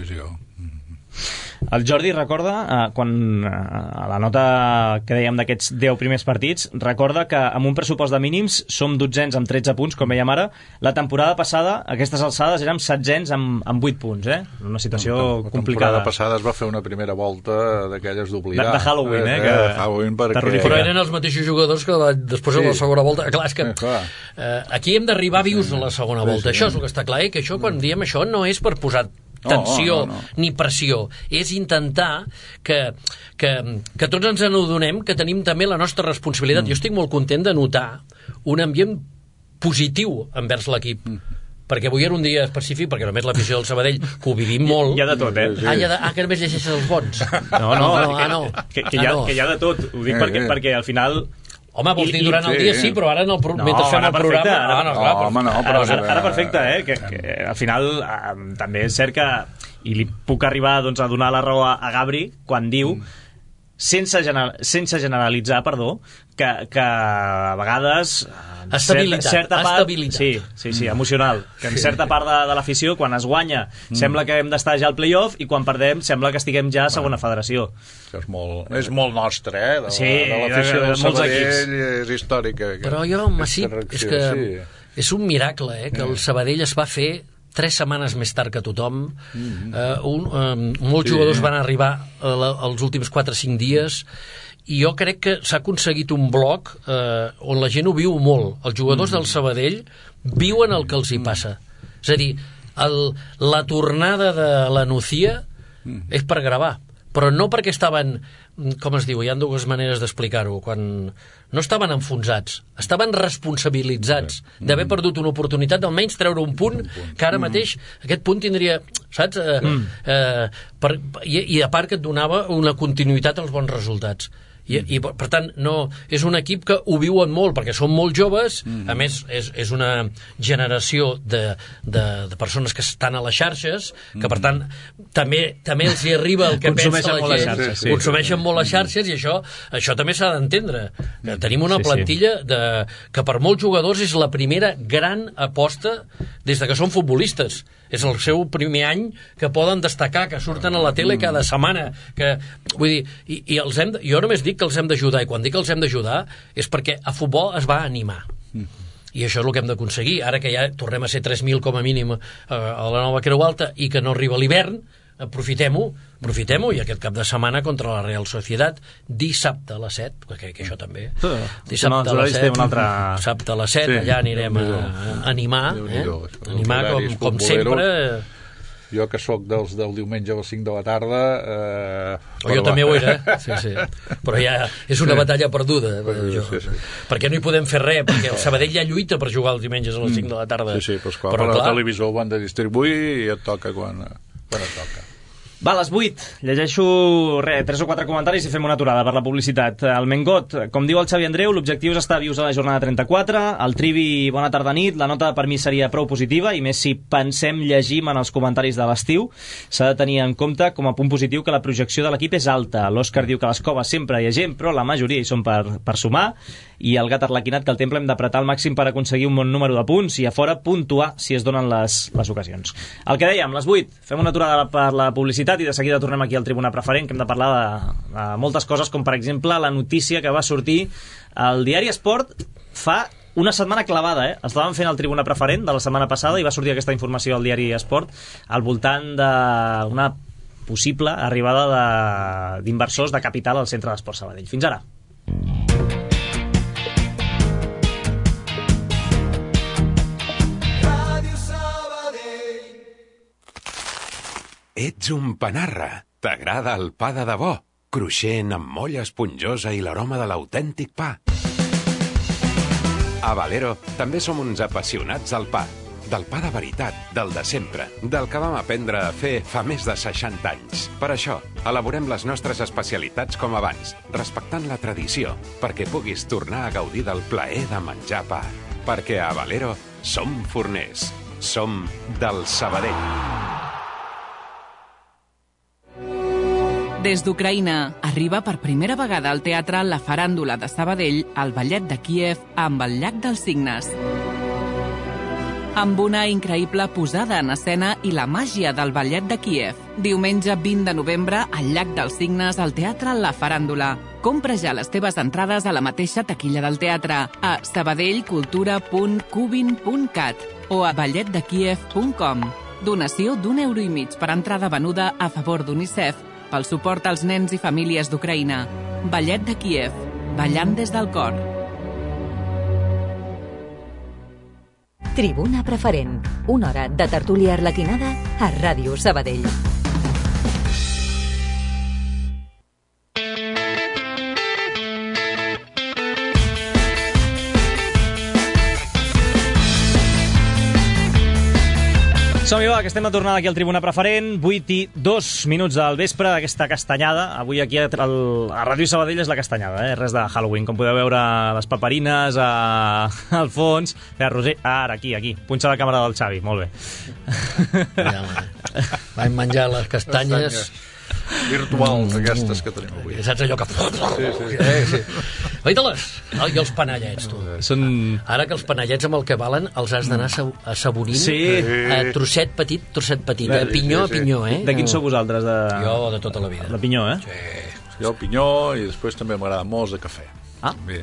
Speaker 2: El Jordi recorda, quan a la nota que dèiem d'aquests 10 primers partits, recorda que amb un pressupost de mínims som 12ens amb 13 punts, com veiem ara. La temporada passada, a aquestes alçades, érem 7ens amb 8 punts, una situació complicada.
Speaker 4: La temporada passada es va fer una primera volta d'aquelles d'oblidar.
Speaker 2: De Halloween,
Speaker 3: Però eren els mateixos jugadors que després a la segona volta. Clar, és que aquí hem d'arribar vius a la segona volta. Això és el que està clar, que això, quan diem això, no és per posar tensió ni pressió, és intentar que tots ens adonem que tenim també la nostra responsabilitat. Jo estic molt content de notar un ambient positiu envers l'equip, perquè avui era un dia específic, perquè només l'afició del Sabadell, que ho vivim molt...
Speaker 2: Hi ha de tot,
Speaker 3: que només llegeixes els bons.
Speaker 2: No. Que hi ha de tot. Ho dic perquè al final...
Speaker 3: Home, vols dir durant el dia sí, però ara mentre fem el programa...
Speaker 2: Ara perfecte, que al final també és cert que, i li puc arribar a donar la raó a Gabri quan diu, sense generalitzar, que a vegades certa part, sí, emocional, que en certa part de l'afició, quan es guanya sembla que hem d'estar ja al playoff, i quan perdem sembla que estiguem ja a segona federació.
Speaker 4: És molt nostre, de l'afició del Sabadell, és històrica.
Speaker 3: Però jo, Massip, és que és un miracle, que el Sabadell es va fer 3 setmanes més tard que tothom. Molts jugadors van arribar els últims 4 o 5 dies, i jo crec que s'ha aconseguit un bloc on la gent ho viu molt. Els jugadors del Sabadell viuen el que els hi passa. És a dir, la tornada de la Nucía és per gravar, però no perquè estaven, com es diu, hi ha 2 maneres d'explicar-ho, quan no estaven enfonsats, estaven responsabilitzats d'haver perdut una oportunitat d'almenys treure un punt, que ara mateix aquest punt tindria, saps? I a part que et donava una continuïtat als bons resultats. I per tant, no, és un equip que ho viuen molt, perquè són molt joves, a més, és una generació de persones que estan a les xarxes, que per tant, també els hi arriba el que pensa la gent. Consumeixen molt les xarxes, i això també s'ha d'entendre. Tenim una plantilla que per molts jugadors és la primera gran aposta des de que són futbolistes. És el seu primer any que poden destacar, que surten a la tele cada setmana, vull dir, jo només dic que els hem d'ajudar, i quan dic que els hem d'ajudar és perquè a futbol es va animar, i això és el que hem d'aconseguir. Ara que ja tornem a ser 3.000 com a mínim a la nova Creu Alta i que no arriba l'hivern, aprofitem-ho, i aquest cap de setmana contra la Real Sociedad, dissabte a les 7, que això també, dissabte a les 7, allà anirem a animar, com sempre.
Speaker 4: Jo que sóc del diumenge a les 5 de la tarda...
Speaker 3: Jo també ho era, sí. Però ja és una batalla perduda. Perquè no hi podem fer res, perquè el Sabadell ja lluita per jugar els diumenges a les 5 de la tarda.
Speaker 4: Sí, però la televisió ho han de distribuir i et toca quan et toca.
Speaker 2: Va, a les 8, llegeixo 3 o 4 comentaris i fem una aturada per la publicitat. El Mengot, com diu el Xavi Andreu, l'objectiu és estar vius a la jornada 34. El Trivi, bona tarda nit. La nota per mi seria prou positiva, i més si pensem, llegim en els comentaris de l'estiu. S'ha de tenir en compte com a punt positiu que la projecció de l'equip és alta. L'Òscar diu que a les coves sempre hi ha gent, però la majoria hi són per sumar. I el Gat Arlequinat, que el Temple hem d'apretar al màxim per aconseguir un bon número de punts, i a fora puntuar si es donen les ocasions. El que dèiem, les 8, fem una aturada per la publicitat i de seguida tornem aquí al Tribuna Preferent, que hem de parlar de moltes coses, com per exemple la notícia que va sortir al diari Esport fa una setmana clavada, Estàvem fent el Tribuna Preferent de la setmana passada i va sortir aquesta informació al diari Esport al voltant d'una possible arribada d'inversors de capital al centre d'Esport Sabadell. Fins ara.
Speaker 5: Ets un panarra. T'agrada el pa de debò, cruixent, amb molla esponjosa i l'aroma de l'autèntic pa. A Valero també som uns apassionats del pa. Del pa de veritat, del de sempre, del que vam aprendre a fer fa més de 60 anys. Per això, elaborem les nostres especialitats com abans, respectant la tradició, perquè puguis tornar a gaudir del plaer de menjar pa. Perquè a Valero som forners. Som del Sabadell.
Speaker 6: Des d'Ucraïna, arriba per primera vegada al teatre La Faràndula de Sabadell, el ballet de Kíev amb el Llac dels Cignes. Amb una increïble posada en escena i la màgia del ballet de Kíev. Diumenge 20 de novembre, al Llac dels Cignes, al teatre La Faràndula. Compra ja les teves entrades a la mateixa taquilla del teatre, a sabadellcultura.cubin.cat o a balletdekiev.com. Donació d'1,5 € per entrada venuda a favor d'UNICEF pel suport als nens i famílies d'Ucraïna. Ballet de Kíev, ballant des del cor.
Speaker 1: Tribuna Preferent, una hora de tertúlia arlequinada a Ràdio Sabadell.
Speaker 2: Som-hi, va, que estem a tornar aquí al Tribuna Preferent, 8:02 del vespre d'aquesta castanyada. Avui aquí a Ràdio Sabadell és la castanyada, res de Halloween. Com podeu veure, les paperines al fons. Roser, ara, aquí. Punxa la càmera del Xavi, molt bé.
Speaker 3: Vam menjar les castanyes
Speaker 4: virtuals, aquestes que tenim avui.
Speaker 3: Saps allò que... Sí. Veita-les! I els panellets, tu. Ara que els panellets amb el que valen els has d'anar assaborint trosset petit, pinyó a pinyó,
Speaker 2: De quins sou vosaltres?
Speaker 3: Jo de tota la vida.
Speaker 2: De pinyó,
Speaker 3: Sí.
Speaker 4: Jo el pinyó, i després també m'agrada molt de cafè.
Speaker 2: Ah,
Speaker 4: bé.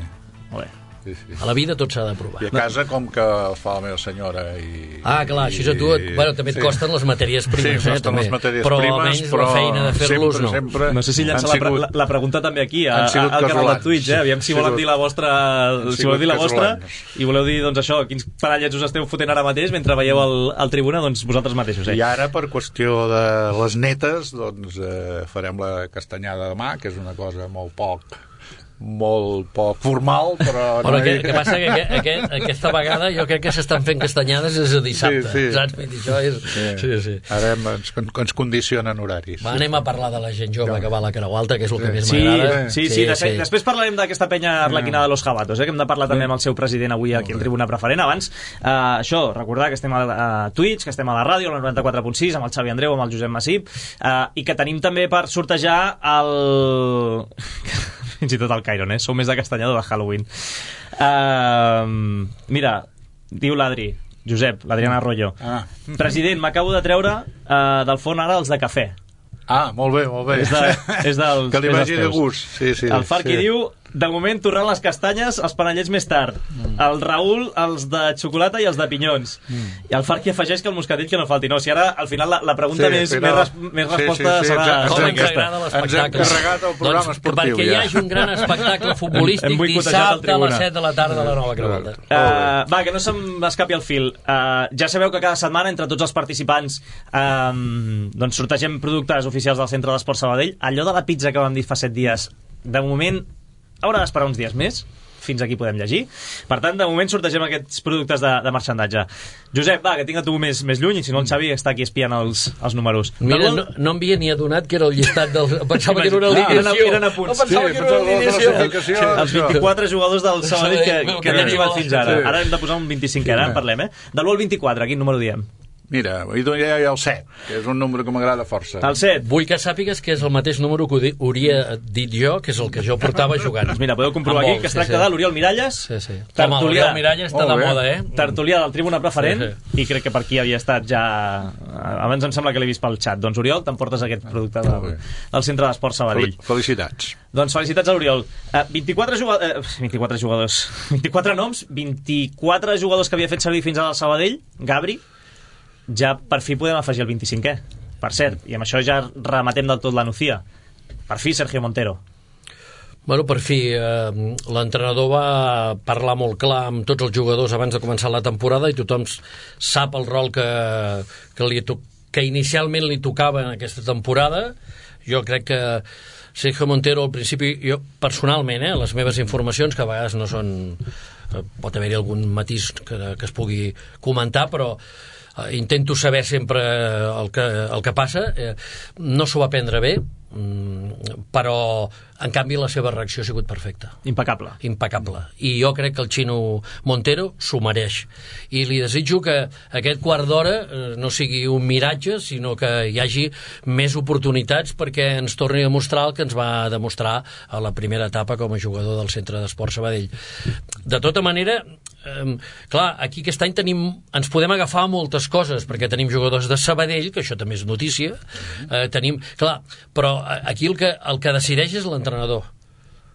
Speaker 2: Molt bé.
Speaker 4: Sí.
Speaker 3: A la vida tot s'ha de provar.
Speaker 4: I a casa com que el fa la meva senyora i...
Speaker 3: clar, així a tu també et costen les matèries primes,
Speaker 4: costen les matèries
Speaker 3: però
Speaker 4: primes,
Speaker 3: almenys la feina de fer-los no.
Speaker 2: No sé si llança la pregunta també aquí al canal de Twitch, aviam si volen dir la vostra, i voleu dir, doncs això, quins parellets us esteu fotent ara mateix mentre veieu el Tribuna, doncs vosaltres mateixos.
Speaker 4: I ara, per qüestió de les netes, doncs farem la castanyada demà, que és una cosa molt poc molt poc formal, però
Speaker 3: que passa que aquesta vegada jo crec que s'estan fent castanyades des de dissabte, saps? Això és... Sí.
Speaker 4: Ara ens condicionen horaris.
Speaker 3: Anem a parlar de la gent jove que va a la Creu Alta, que és el que més m'agrada.
Speaker 2: Sí. Després parlarem d'aquesta penya arlequinada de los Jabatos, que hem de parlar també amb el seu president avui aquí al Tribuna Preferent. Abans, això, recordar que estem a Twitch, que estem a la ràdio, al 94.6, amb el Xavi Andreu, amb el Josep Massip, i que tenim també per sortejar el... fins i tot el Cairon, sou més de castanyador de Halloween. Mira, diu l'Adri, Josep, l'Adriana Arroyo, president, m'acabo de treure del forn ara els de cafè.
Speaker 4: Molt bé.
Speaker 2: És dels
Speaker 4: que li vagi de gust. Sí.
Speaker 2: El Farqui diu, de moment tornant les castanyes, els panellets més tard. El Raül, els de xocolata i els de pinyons. I el Farqui afegeix que el moscatell que no falti. No, si ara, al final, la pregunta més resposta serà...
Speaker 3: Com ens agrada l'espectacle.
Speaker 4: Ens hem carregat el programa esportiu.
Speaker 3: Perquè hi hagi un gran espectacle futbolístic dissabte a les 7 de la tarda a la Nova Creu Alta.
Speaker 2: Va, que no se'm escapi el fil. Ja sabeu que cada setmana, entre tots els participants, doncs sortegem productes oficials del Centre d'Esport Sabadell. Allò de la pizza que vam dir fa 7 dies, de moment haurà d'esperar uns dies més, fins aquí podem llegir. Per tant, de moment sortegem aquests productes de marxandatge. Josep, va, que tinc a tu més lluny, i si no el Xavi està aquí espiant els números.
Speaker 3: Mira, no em havia ni adonat que era el llistat del... Pensava que era una alineació.
Speaker 2: Eren apunts.
Speaker 3: No pensava que era una alineació.
Speaker 2: Els 24 jugadors del Sabadell que hem arribat fins ara. Ara hem de posar un 25, ara en parlem, De l'1 al 24, quin número diem?
Speaker 4: Mira, hi ha el 7, que és un número que m'agrada força.
Speaker 2: El 7.
Speaker 3: Vull que sàpigues que és el mateix número que hauria dit jo, que és el que jo portava jugant.
Speaker 2: Doncs mira, podeu comprovar aquí que es tracta de l'Oriol Miralles.
Speaker 3: Sí. Home, l'Oriol Miralles està de moda,
Speaker 2: Tertulià del Tribuna Preferent, i crec que per aquí havia estat ja... Abans em sembla que l'he vist pel xat. Doncs, Oriol, t'emportes aquest producte del Centre d'Esport Sabadell.
Speaker 4: Felicitats.
Speaker 2: Doncs felicitats a l'Oriol. 24 jugadors, 24 noms, 24 jugadors que havia fet servir fins ara al Sabadell, Gabri, ja per fi podem afegir el 25è, per cert, i amb això ja rematem del tot la Nucía. Per fi Sergio Montero.
Speaker 3: Bueno, per fi, l'entrenador va parlar molt clar amb tots els jugadors abans de començar la temporada i tothom sap el rol que inicialment li tocava en aquesta temporada. Jo crec que Sergio Montero al principi, jo personalment, les meves informacions, que a vegades no són... pot haver-hi algun matís que es pugui comentar, però intento saber sempre el que passa. No s'ho va prendre bé, però en canvi la seva reacció ha sigut perfecta.
Speaker 2: Impecable.
Speaker 3: I jo crec que el Xino Montero s'ho mereix, i li desitjo que aquest quart d'hora no sigui un miratge, sinó que hi hagi més oportunitats perquè ens torni a mostrar el que ens va demostrar a la primera etapa com a jugador del Centre d'Esport Sabadell. De tota manera, clar, aquí aquest any ens podem agafar moltes coses, perquè tenim jugadors de Sabadell, que això també és notícia, clar, però aquí el que decideix és l'entrenador,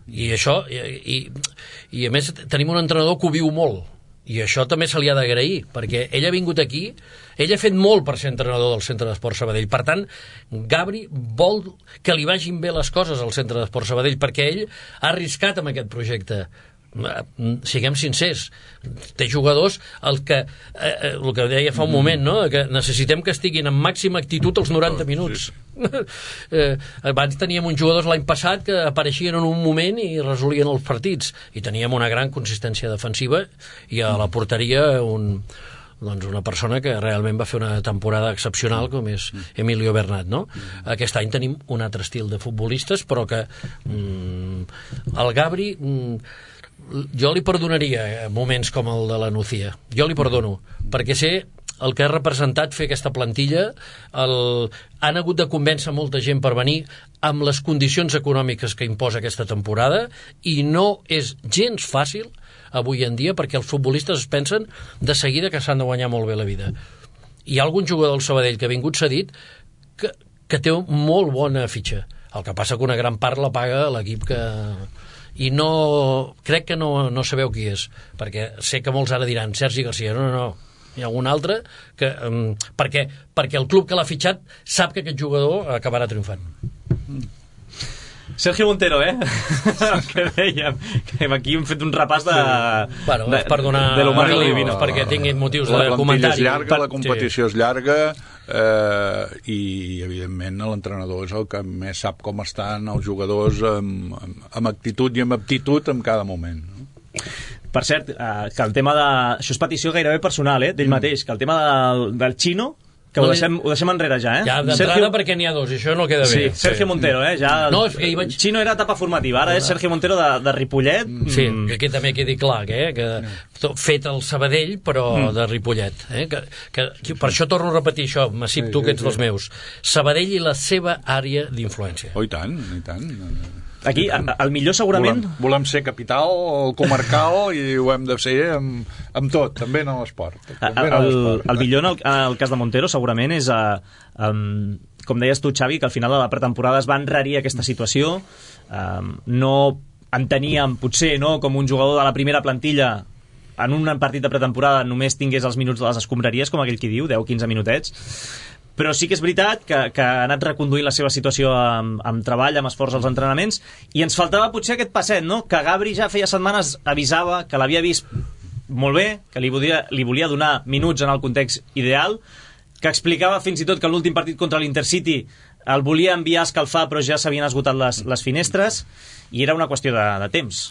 Speaker 3: i això i a més tenim un entrenador que ho viu molt, i això també se li ha d'agrair, perquè ell ha vingut aquí, ell ha fet molt per ser entrenador del Centre d'Esport Sabadell. Per tant, Gabri vol que li vagin bé les coses al Centre d'Esport Sabadell, perquè ell ha arriscat amb aquest projecte. Siguem sincers, té jugadors el que deia fa un moment, no? Que necessitem que estiguin en màxima actitud els 90 minuts. Abans teníem uns jugadors l'any passat que apareixien en un moment i resolien els partits, i teníem una gran consistència defensiva, i a la porteria una persona que realment va fer una temporada excepcional, com és Emilio Bernat, no? Aquest any tenim un altre estil de futbolistes, però que el Gabri jo li perdonaria moments com el de la Nucía. Jo li perdono, perquè sé el que ha representat fer aquesta plantilla. Han hagut de convèncer molta gent per venir amb les condicions econòmiques que imposa aquesta temporada, i no és gens fàcil avui en dia, perquè els futbolistes es pensen de seguida que s'han de guanyar molt bé la vida. Hi ha algun jugador del Sabadell que ha vingut cedit que té molt bona fitxa. El que passa que una gran part la paga l'equip que... I crec que no sabeu qui és, perquè sé que molts ara diran Sergi Garcia. No, hi ha algun altre que, perquè el club que l'ha fitxat sap que aquest jugador acabarà triomfant.
Speaker 2: Sergio Montero, que dèiem, que aquí hem fet un repàs de...
Speaker 3: Bueno, és per donar divines, perquè tinguin motius de comentari.
Speaker 4: La competició és llarga, i evidentment l'entrenador és el que més sap com estan els jugadors amb actitud i amb aptitud en cada moment.
Speaker 2: Per cert, que el tema de... Això és petició gairebé personal, d'ell mateix, que el tema del Chino, que ho deixem enrere ja,
Speaker 3: Ja, d'entrada perquè n'hi ha dos, això no queda bé.
Speaker 2: Sí, Sergio Montero, ja...
Speaker 3: No, és que
Speaker 2: Chino era etapa formativa, ara és Sergio Montero de Ripollet.
Speaker 3: Sí, que també quedi clar, que fet al Sabadell, però de Ripollet. Que per això torno a repetir això, Massip, tu que ets dels meus. Sabadell i la seva àrea d'influència.
Speaker 4: Oh, i tant, i tant.
Speaker 2: Aquí, el millor segurament...
Speaker 4: Volem ser capital, comarcal, i ho hem de ser amb tot, també en l'esport.
Speaker 2: El millor en el cas de Montero segurament és, com deies tu, Xavi, que al final de la pretemporada es va enrarir aquesta situació. No enteníem, potser, com un jugador de la primera plantilla en un partit de pretemporada només tingués els minuts de les escombraries, com aquell qui diu, 10-15 minutets. Però sí que és veritat que ha anat reconduint la seva situació amb treball, amb esforç als entrenaments, i ens faltava potser aquest passet, que Gabri ja feia setmanes avisava que l'havia vist molt bé, que li volia donar minuts en el context ideal, que explicava fins i tot que l'últim partit contra l'Intercity el volia enviar a escalfar, però ja s'havien esgotat les finestres, i era una qüestió de temps.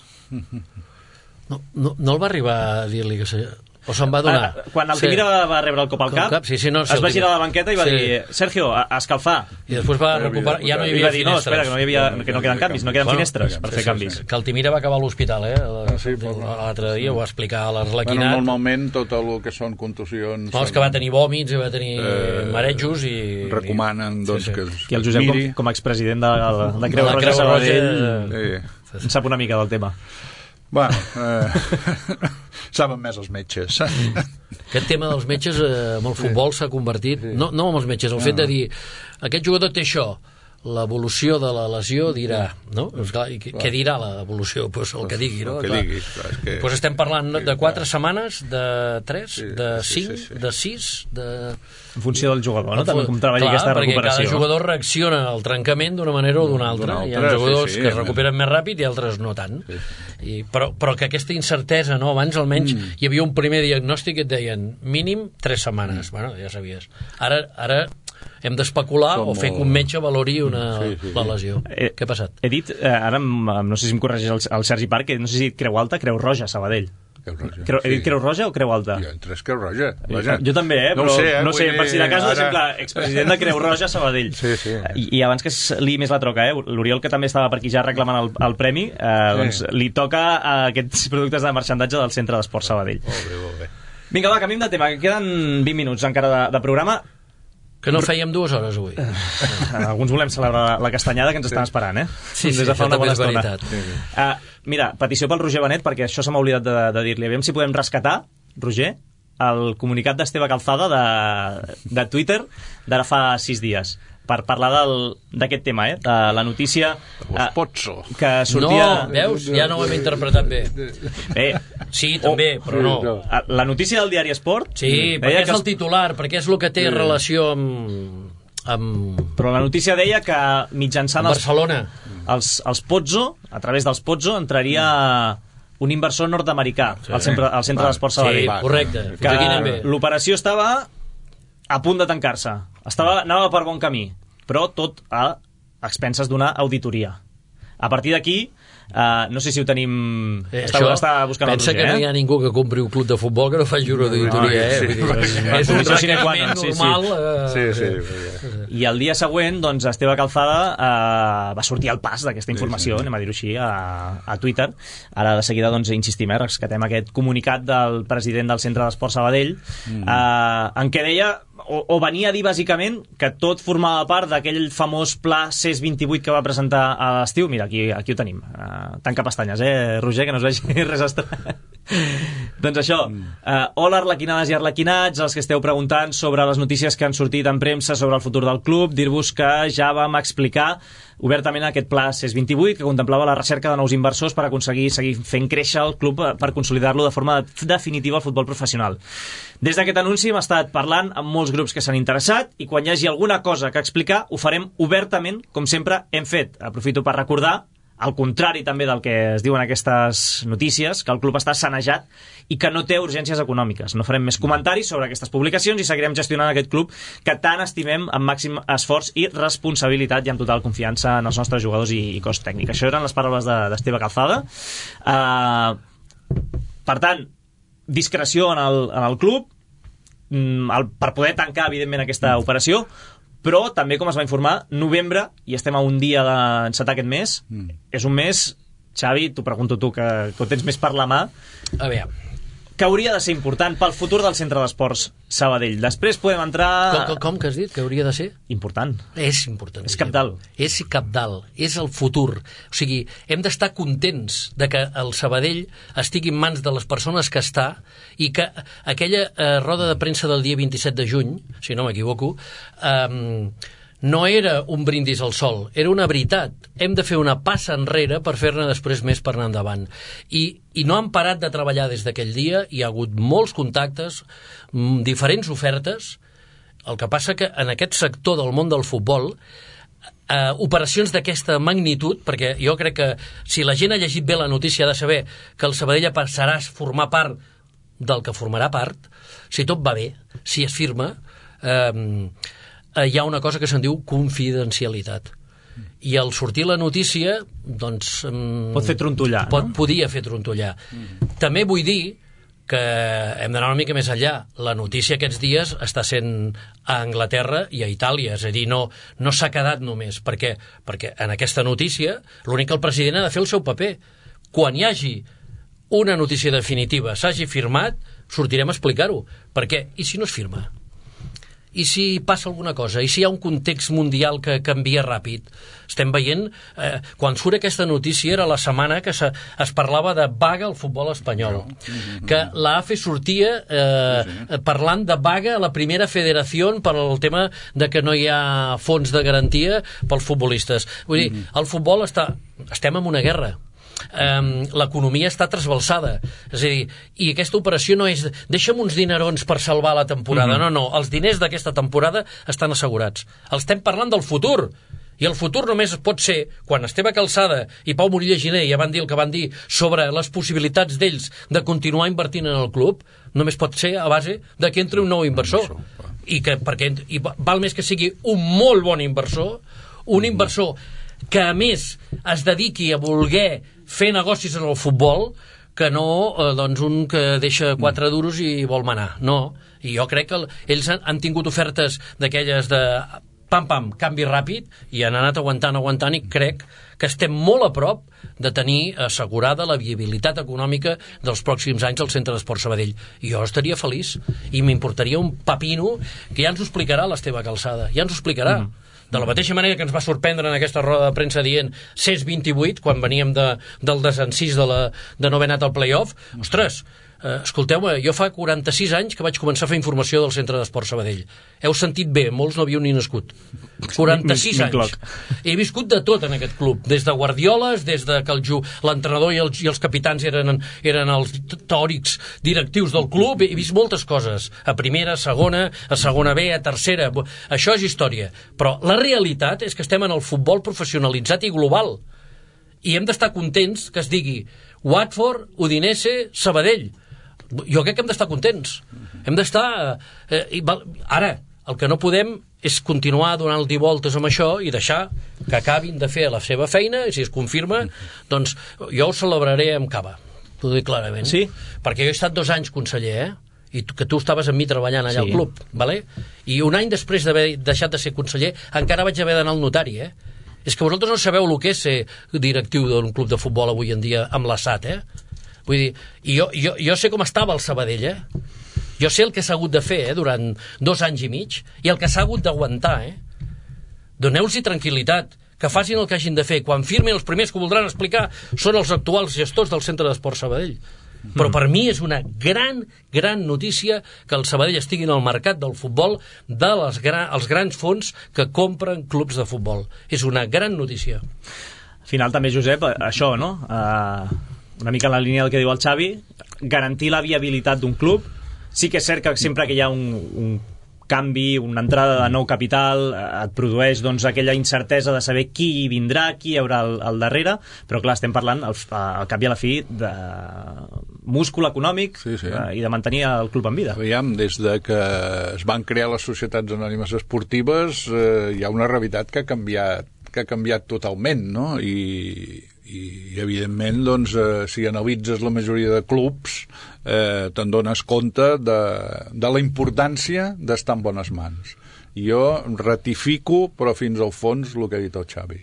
Speaker 3: No el va arribar a dir-li que... O se'n va donar?
Speaker 2: Quan Altimira va rebre el cop al cap, es va girar a la banqueta i va dir Sergio, a escalfar.
Speaker 3: I després va recuperar, ja no hi havia finestres.
Speaker 2: No, espera, que no queden canvis, no queden finestres per fer canvis.
Speaker 3: Que Altimira va acabar a l'hospital, l'altre dia ho va explicar a l'Arlequinat.
Speaker 4: Normalment tot el que són contusions...
Speaker 3: No, és que va tenir vòmits i va tenir marejos i...
Speaker 4: Recomanen, doncs, que
Speaker 2: i el Josep, com a expresident de Creu Roja Sabadell, en sap una mica del tema.
Speaker 4: Bueno, saben més els metges.
Speaker 3: Aquest tema dels metges amb el futbol s'ha convertit, no amb els metges, el fet de dir aquest jugador té això, l'evolució de la lesió dirà, no? Què dirà l'evolució? Pues el que digui, no?
Speaker 4: El que digui.
Speaker 3: Pues estem parlant de 4 setmanes, de 3, de 5, de 6, de...
Speaker 2: En funció del jugador, no? També com treballi aquesta recuperació.
Speaker 3: Perquè cada jugador reacciona al trencament d'una manera o d'una altra. Hi ha jugadors que es recuperen més ràpid i altres no tant. Però que aquesta incertesa, no? Abans almenys hi havia un primer diagnòstic que et deien mínim 3 setmanes. Bueno, ja sabies. Ara hem d'especular o fer que un metge valori la lesió. Què ha passat?
Speaker 2: He dit, ara no sé si em corregeix el Sergi Parc, no sé si Creu Alta, Creu Roja, Sabadell. He dit Creu Roja o Creu Alta?
Speaker 4: Jo entre Creu Roja.
Speaker 2: Jo també, però no sé, per si de cas, exemple, expresident de Creu Roja, Sabadell. I abans que es liï més la troca, l'Oriol, que també estava per aquí ja reclamant el premi, doncs li toca aquests productes de marxandatge del Centre d'Esport Sabadell.
Speaker 4: Molt bé.
Speaker 2: Vinga, va, canviem de tema, queden 20 minuts encara de programa.
Speaker 3: Que no fèiem 2 hores avui.
Speaker 2: Alguns volem celebrar la castanyada que ens estan esperant,
Speaker 3: Sí,
Speaker 2: des de fa una bona
Speaker 3: és veritat.
Speaker 2: Mira, petició pel Roger Benet, perquè això se m'ha oblidat de dir-li. Aviam si podem rescatar, Roger, el comunicat d'Esteve Calzada de Twitter d'ara fa 6 dies, per parlar d'aquest tema, de la notícia que sortia...
Speaker 3: No, veus? Ja no ho hem interpretat bé. Sí, també, però no.
Speaker 2: La notícia del diari Esport...
Speaker 3: Sí, perquè és el titular, perquè és el que té relació amb...
Speaker 2: Però la notícia deia que mitjançant
Speaker 3: Barcelona,
Speaker 2: els Pozzo, a través dels Pozzo, entraria un inversor nord-americà al Centre d'Esport Sabadell.
Speaker 3: Sí, correcte.
Speaker 2: Que l'operació estava a punt de tancar-se. Anava per bon camí, però tot a expenses d'una auditoria. A partir d'aquí, no sé si ho tenim... Està buscant el Roger.
Speaker 3: Pensa que no hi ha ningú que compri un club de futbol que no faci una auditoria, És un requeriment normal.
Speaker 2: I el dia següent, doncs, Esteve Calzada va sortir al pas d'aquesta informació, anem a dir-ho així, a Twitter. Ara de seguida, doncs, insistim, rescatem aquest comunicat del president del Centre d'Esport Sabadell, en què deia, o venia a dir bàsicament que tot formava part d'aquell famós pla CES 28 que va presentar a l'estiu. Mira, aquí ho tenim. Tanca pestanyes, Roger, que no es vegi res estrany. Doncs això, hola arlequinades i arlequinats, els que esteu preguntant sobre les notícies que han sortit en premsa sobre el futur del club, dir-vos que ja vam explicar obertament aquest pla CES 28 que contemplava la recerca de nous inversors per aconseguir seguir fent créixer el club per consolidar-lo de forma definitiva al futbol professional. Des d'aquest anunci hem estat parlant amb molts grups que s'han interessat i quan hi hagi alguna cosa que explicar ho farem obertament, com sempre hem fet. Aprofito per recordar, al contrari també del que es diuen aquestes notícies, que el club està sanejat i que no té urgències econòmiques. No farem més comentaris sobre aquestes publicacions i seguirem gestionant aquest club que tant estimem amb màxim esforç i responsabilitat i amb total confiança en els nostres jugadors i cos tècnic. Això eren les paraules d'Esteve Calzada. Per tant, discreció en el club per poder tancar, evidentment, aquesta operació, però també, com es va informar, novembre, i estem a un dia d'encetar aquest mes, és un mes, Xavi, t'ho pregunto tu, que ho tens més per la mà,
Speaker 3: A veure,
Speaker 2: que hauria de ser important pel futur del Centre d'Esports Sabadell. Després podem entrar...
Speaker 3: com que has dit que hauria de ser?
Speaker 2: Important.
Speaker 3: És important.
Speaker 2: És cabdal.
Speaker 3: És cabdal, és el futur. O sigui, hem d'estar contents de que el Sabadell estigui en mans de les persones que està i que aquella roda de premsa del dia 27 de juny, si no m'equivoco, no era un brindis al sol, era una veritat. Hem de fer una passa enrere per fer-ne després més per anar endavant. I no han parat de treballar des d'aquell dia, hi ha hagut molts contactes, diferents ofertes. El que passa que en aquest sector del món del futbol, operacions d'aquesta magnitud, perquè jo crec que si la gent ha llegit bé la notícia ha de saber que el Sabadell passarà a formar part del que formarà part, si tot va bé, si es firma, hi ha una cosa que se'n diu confidencialitat. I al sortir la notícia, doncs...
Speaker 2: pot fer trontollar, no?
Speaker 3: Podia fer trontollar. També vull dir que hem d'anar una mica més enllà. La notícia aquests dies està sent a Anglaterra i a Itàlia, és a dir, no s'ha quedat només, perquè en aquesta notícia l'únic que el president ha de fer el seu paper. Quan hi hagi una notícia definitiva, s'hagi firmat, sortirem a explicar-ho. Perquè, i si no es firma? I si passa alguna cosa? I si hi ha un context mundial que canvia ràpid? Estem veient, quan surt aquesta notícia era la setmana que es parlava de vaga al futbol espanyol, que l'AFE sortia parlant de vaga a la primera federació per al tema de que no hi ha fons de garantia pels futbolistes. Vull dir, el futbol estem en una guerra. L'economia està trasbalsada, és a dir, i aquesta operació no és deixa'm uns dinerons per salvar la temporada, no, els diners d'aquesta temporada estan assegurats. Estem parlant del futur, i el futur només pot ser quan Esteve Calzada i Pau Morilla Giner ja van dir el que van dir sobre les possibilitats d'ells de continuar invertint en el club, només pot ser a base de que entri un nou inversor i val més que sigui un molt bon inversor, un inversor que a més es dediqui a voler fer negocis en el futbol, que no doncs un que deixa 4 duros i vol manar. No, i jo crec que ells han tingut ofertes d'aquelles de pam, canvi ràpid, i han anat aguantant, i crec que estem molt a prop de tenir assegurada la viabilitat econòmica dels pròxims anys al Centre d'Esports Sabadell. I jo estaria feliç, i m'importaria un pepino, que ja ens ho explicarà l'Esteve Calzada, ja ens ho explicarà. De la mateixa manera que ens va sorprendre en aquesta roda de premsa dient CES 28, quan veníem del desencís de no haver anat al play-off. Ostres, escolteu-me, jo fa 46 anys que vaig començar a fer informació del Centre d'Esports Sabadell. Heu sentit bé, molts no havíeu ni nascut. 46 anys. He viscut de tot en aquest club, des de guardioles, des de que l'entrenador i els capitans eren els teòrics directius del club. He vist moltes coses, a primera, a segona B, a tercera. Això és història. Però la realitat és que estem en el futbol professionalitzat i global. I hem d'estar contents que es digui Watford, Udinese, Sabadell. Jo crec que hem d'estar contents. Hem d'estar... Ara, el que no podem és continuar donant-li voltes amb això i deixar que acabin de fer la seva feina, i si es confirma, doncs jo ho celebraré amb cava. T'ho dic clarament.
Speaker 2: Sí?
Speaker 3: Perquè jo he estat 2 anys conseller, i que tu estaves amb mi treballant allà al club, vale? I un any després d'haver deixat de ser conseller encara vaig haver d'anar al notari, És que vosaltres no sabeu el que és ser directiu d'un club de futbol avui en dia amb l'ASAT, Vull dir, i jo sé com estava el Sabadell, Jo sé el que s'ha hagut de fer, durant 2 anys i mig, i el que s'ha hagut d'aguantar, Doneu-los tranquil·litat, que facin el que hagin de fer. Quan firmin, els primers que voldran explicar són els actuals gestors del Centre d'Esports Sabadell. Però per mi és una gran notícia que el Sabadell estigui en el mercat del futbol dels grans fons que compren clubs de futbol. És una gran notícia.
Speaker 2: Al final també, Josep, això, no? Una mica en la línia del que diu el Xavi, garantir la viabilitat d'un club. Sí que és cert que sempre que hi ha un canvi, una entrada de nou capital, et produeix doncs, aquella incertesa de saber qui hi vindrà, qui hi haurà al darrere, però clar, estem parlant al cap i a la fi de múscul econòmic i de mantenir el club en vida.
Speaker 4: Aviam, des de que es van crear les societats anònimes esportives hi ha una realitat que ha canviat totalment, no? I evidentment, doncs, si analitzes la majoria de clubs te'n dones compte de la importància d'estar en bones mans. Jo ratifico, però fins al fons, el que ha dit el Xavi.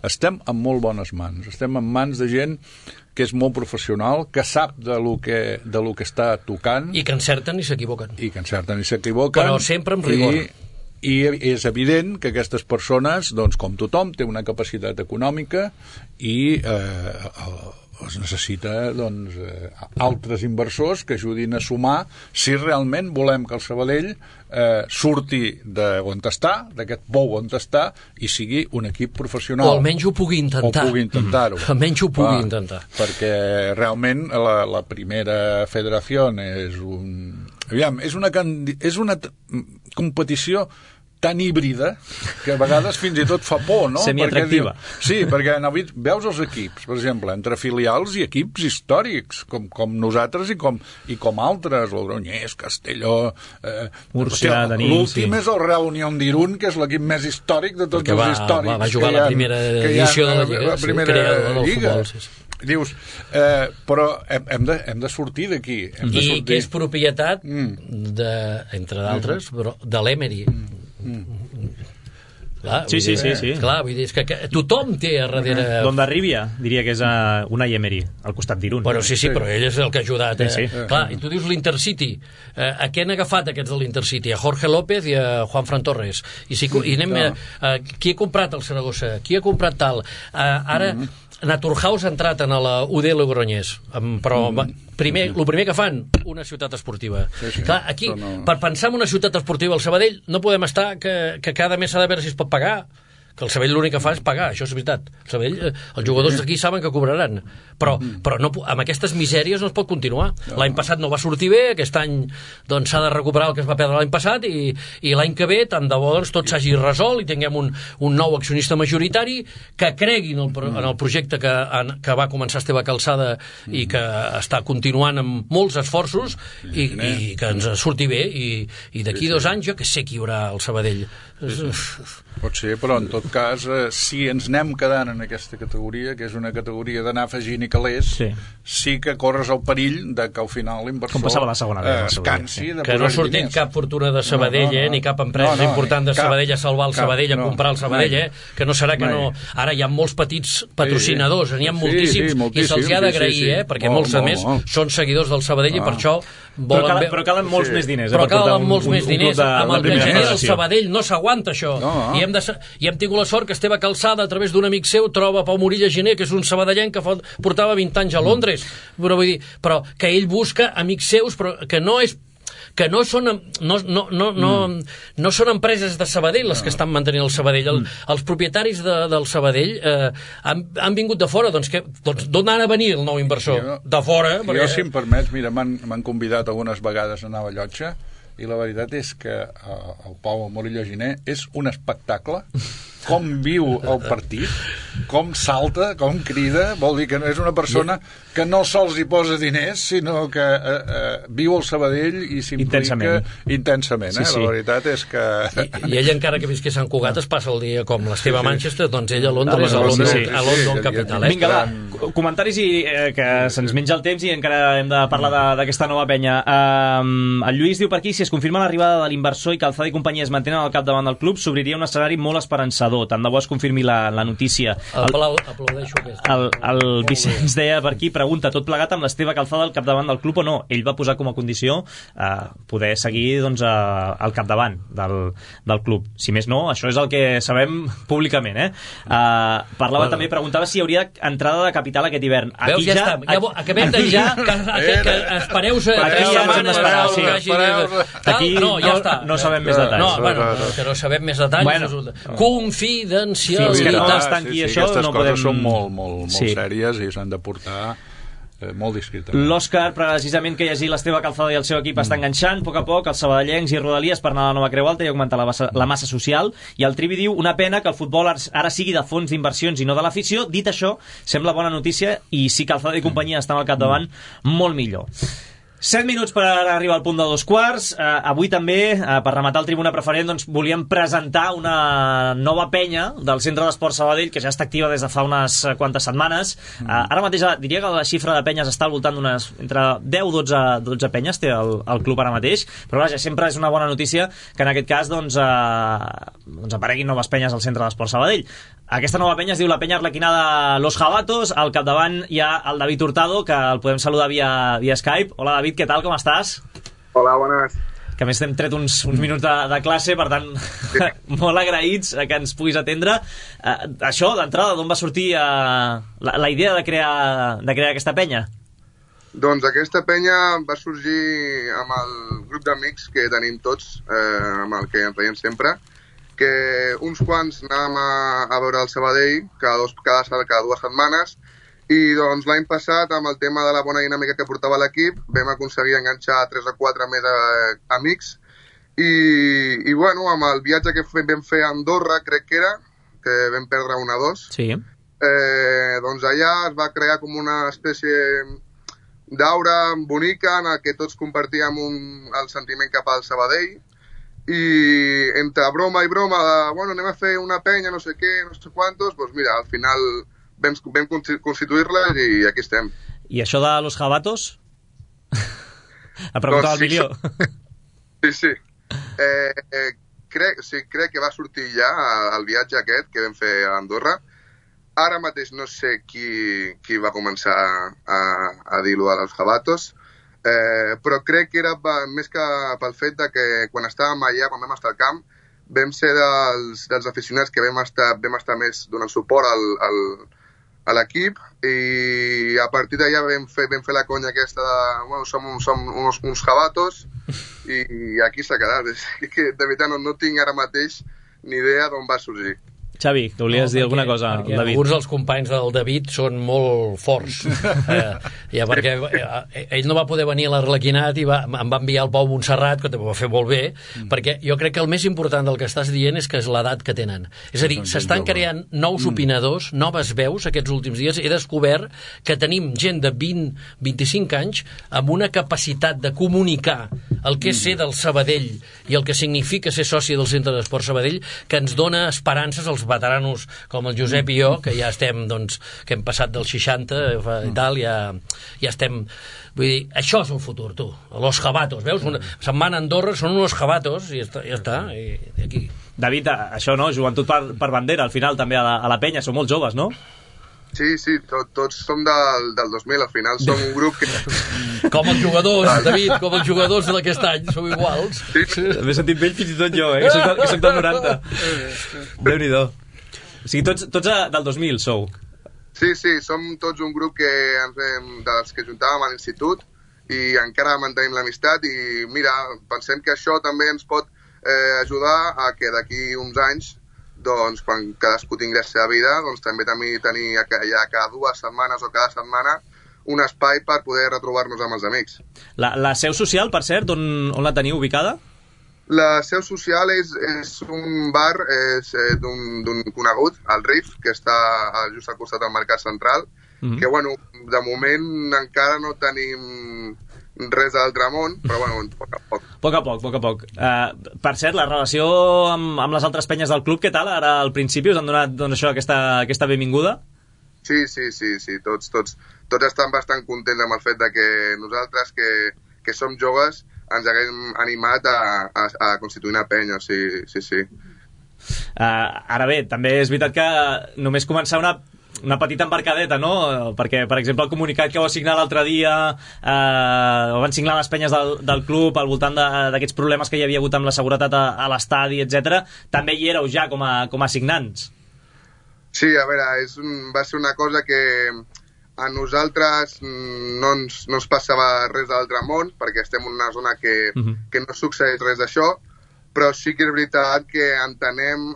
Speaker 4: Estem en molt bones mans. Estem en mans de gent que és molt professional, que sap de lo que està tocant.
Speaker 3: I que encerten i s'equivoquen.
Speaker 4: Però
Speaker 3: sempre amb rigor.
Speaker 4: I és evident que aquestes persones, doncs, com tothom, té una capacitat econòmica i es necessita doncs, altres inversors que ajudin a sumar si realment volem que el Sabadell surti d'on està, d'aquest pou on està, i sigui un equip professional.
Speaker 3: O almenys ho pugui intentar. Almenys ho pugui intentar.
Speaker 4: Perquè realment la primera federació és una competició tan híbrida que a vegades fins i tot fa por, no?
Speaker 2: Semiatractiva.
Speaker 4: Perquè veus els equips, per exemple, entre filials i equips històrics, com nosaltres i com altres, Logroñés, Castelló,
Speaker 2: Múrcia, Danín.
Speaker 4: L'últim és el Real Unión d'Irún, que és l'equip més històric de tots els històrics.
Speaker 3: Va jugar la primera edició de la Lliga,
Speaker 4: creador
Speaker 3: del futbol, sí.
Speaker 4: Dius, però hem de sortir d'aquí.
Speaker 3: I que és propietat, entre d'altres, de l'Emery.
Speaker 2: Sí.
Speaker 3: Clar, vull dir, és que tothom té a darrere...
Speaker 2: Dondarribia, diria que és Unai Emery, al costat d'Irún.
Speaker 3: Bueno, sí, però ell és el que ha ajudat. Clar, i tu dius l'Intercity. A què han agafat aquests de l'Intercity? A Jorge López i a Juanfran Torres. I anem qui ha comprat el Saragossa? Qui ha comprat tal? Ara... Naturhaus ha entrat en la UD Logroñés, però el primer que fan, una ciutat esportiva. Clar, aquí, per pensar en una ciutat esportiva al Sabadell, no podem estar que cada mes s'ha de veure si es pot pagar, que el Sabadell l'únic que fa és pagar, això és veritat. El Sabadell, els jugadors d'aquí saben que cobraran, però no, amb aquestes misèries no es pot continuar. L'any passat no va sortir bé, aquest any doncs s'ha de recuperar el que es va perdre l'any passat i l'any que ve tant de bo doncs, tot s'hagi resolt i tinguem un nou accionista majoritari que cregui en el projecte que va començar Esteve Calçada i que està continuant amb molts esforços i que ens surti bé i d'aquí 2 anys jo que sé qui hi haurà al Sabadell.
Speaker 4: Pot ser, però en tot cas si ens anem quedant en aquesta categoria, que és una categoria d'anar afegint i calés, sí que corres el perill de que al final l'inversor es cansi de posar
Speaker 3: que no ha sortit cap fortuna de Sabadell ni cap empresa important de Sabadell a salvar el Sabadell, a comprar el Sabadell, que no serà que no... Ara hi ha molts petits patrocinadors, n'hi ha moltíssims i se'ls ha d'agrair, perquè molts a més són seguidors del Sabadell i per això
Speaker 2: però calen molts més diners.
Speaker 3: Però calen molts més diners. Amb el que genera el Sabadell no s'aguanta això. I hem tingut la sort que Esteve Calçada, a través d'un amic seu, troba Pau Morilla Gené, que és un sabadellenc que portava 20 anys a Londres. Però que ell busca amics seus, però que no són empreses de Sabadell les que estan mantenint el Sabadell. Els propietaris del Sabadell han vingut de fora, doncs d'on ha de venir el nou inversor? De fora.
Speaker 4: Jo, si em permets, mira, m'han convidat algunes vegades a anar a la Llotja i la veritat és que el Pau Morilla Gené és un espectacle. Com viu el partit, com salta, com crida, vol dir que és una persona que no sols hi posa diners, sinó que viu el Sabadell i s'implica intensament. La veritat és que...
Speaker 3: I ell, encara que visqués a Sant Cugat, es passa el dia com l'Esteve a Manchester, doncs ell a Londres, a London capital.
Speaker 2: Vinga, va, comentaris i que se'ns menja el temps i encara hem de parlar d'aquesta nova penya. El Lluís diu per aquí, si es confirma l'arribada de l'inversor i Calçada i companyia es mantenen al capdavant del club, s'obriria un escenari molt esperançador. entrenador. Tant de bo es confirmi la notícia.
Speaker 3: Aplaudeixo aquesta.
Speaker 2: El Vicenç deia per aquí, pregunta, tot plegat amb l'Esteve Calzada al capdavant del club o no? Ell va posar com a condició poder seguir doncs, al capdavant del club. Si més no, això és el que sabem públicament. Parlava també, preguntava si hi hauria entrada de capital aquest hivern.
Speaker 3: Veus, ja està. Acabem de dir que espereu-se.
Speaker 2: Aquí no sabem més detalls.
Speaker 3: Que no sabem més detalls. Confidencialitat.
Speaker 2: Fins que no es tanqui això, no podem...
Speaker 4: Aquestes coses són molt sèries i s'han de portar molt discretament.
Speaker 2: L'Òscar, precisament, que llegir l'Esteve Calzada i el seu equip està enganxant a poc els sabadellencs i rodalies per anar a la nova Creu Alta i augmentar la massa social, i el Trivi diu, una pena que el futbol ara sigui de fons d'inversions i no de l'afició. Dit això, sembla bona notícia, i si Calzada i companyia estan al capdavant, molt millor. 7 minuts per arribar al punt de 2:15. Avui també, per rematar el Tribuna Preferent, doncs, volíem presentar una nova penya del Centre d'Esport Sabadell, que ja està activa des de fa unes quantes setmanes. Ara mateix diria que la xifra de penyes està al voltant d'unes entre 10 o 12 penyes té el club ara mateix, però vaja, sempre és una bona notícia que en aquest cas doncs apareguin noves penyes al Centre d'Esport Sabadell. Aquesta nova penya es diu la penya arlequinada Los Jabatos. Al capdavant hi ha el David Hurtado, que el podem saludar via Skype. Hola, David, què tal, com estàs?
Speaker 7: Hola, bones.
Speaker 2: Que a més t'hem tret uns minuts de classe, per tant, molt agraïts que ens puguis atendre. Això, d'entrada, d'on va sortir la idea de crear aquesta penya?
Speaker 7: Doncs aquesta penya va sorgir amb el grup d'amics que tenim tots, amb el que ens veiem sempre, que uns quants anàvem a veure el Sabadell cada 2 setmanes, i doncs l'any passat, amb el tema de la bona dinàmica que portava l'equip, vam aconseguir enganxar 3 o 4 més amics, i bueno, amb el viatge que vam fer a Andorra, crec que era, que vam perdre 1-2,
Speaker 2: sí.
Speaker 7: Doncs allà es va crear com una espècie d'aura bonica en el que tots compartíem el sentiment cap al Sabadell, i entre broma i broma bueno, anem a fer una penya, no sé què, no sé quantos, doncs mira, al final vam constituir-la i aquí estem.
Speaker 2: I això de Los Jabatos? Ha preguntat el Milió.
Speaker 7: Sí. Crec que va sortir ja el viatge aquest que vam fer a Andorra. Ara mateix no sé qui va començar a dir-lo de Los Jabatos, però crec que era més que pel fet de que quan estàvem allà, quan vam estar al camp, vam ser dels aficionats que vam estar més donant suport a l'equip, i a partir d'allà vam fer la conya aquesta de, bueno, som uns jabatos, i aquí s'ha quedat. És que de veritat no tinc ara mateix ni idea d'on va sorgir.
Speaker 2: Xavi, que volies dir alguna cosa,
Speaker 3: David?
Speaker 2: Alguns
Speaker 3: dels companys del David són molt forts. Perquè ell no va poder venir a l'Arlequinat i em va enviar al Pau Montserrat, que també ho va fer molt bé, perquè jo crec que el més important del que estàs dient és que és l'edat que tenen. És a dir, s'estan creant nous opinadors, noves veus aquests últims dies. He descobert que tenim gent de 20-25 anys amb una capacitat de comunicar el que és ser del Sabadell i el que significa ser soci del Centre d'Esport Sabadell, que ens dona esperances als veteranos com el Josep i jo, que ja estem, doncs, que hem passat dels 60 i tal, ja estem... Vull dir, això és el futur, tu. Los Jabatos, veus? Se'n van a Andorra, són uns Jabatos, i ja està, i aquí.
Speaker 2: David, això no, joventut per bandera, al final també a la penya, són molt joves, no?
Speaker 7: Sí, tots som del 2000, al final som un grup que...
Speaker 3: Com els jugadors, David, com els jugadors d'aquest any, sou iguals.
Speaker 7: Sí.
Speaker 2: M'he sentit vell fins i tot jo, que soc del 90. Déu-n'hi-do. O sigui, tots del 2000 sou.
Speaker 7: Sí, som tots un grup dels que juntàvem a l'institut i encara mantenim l'amistat, i mira, pensem que això també ens pot ajudar a que d'aquí uns anys, doncs, quan cadascú tingui la seva vida, doncs també tenir ja cada 2 setmanes o cada setmana un espai per poder retrobar-nos amb els amics.
Speaker 2: La seu social, per cert, on la teniu ubicada?
Speaker 7: La seu social és un bar d'un conegut, el Riff, que està just al costat del Mercat Central, que, bueno, de moment encara no tenim res d'altre món, però, bueno, poc a poc.
Speaker 2: Per cert, la relació amb les altres penyes del club, què tal? Ara, al principi, us han donat, doncs, això, aquesta benvinguda?
Speaker 7: Sí, tots estan bastant contents amb el fet de que nosaltres, que som joves, ens haguem animat a constituir una penya, sí.
Speaker 2: Ara bé, també és veritat que només començar una petita embarcadeta, no? Perquè, per exemple, el comunicat que vau signar l'altre dia, ho van signar les penyes del club al voltant d'aquests problemes que hi havia hagut amb la seguretat a l'estadi, etc. També hi éreu ja com a signants.
Speaker 7: Sí, a veure, va ser una cosa que a nosaltres no ens passava res de l'altre món, perquè estem en una zona que no succeeix res d'això, però sí que és veritat que entenem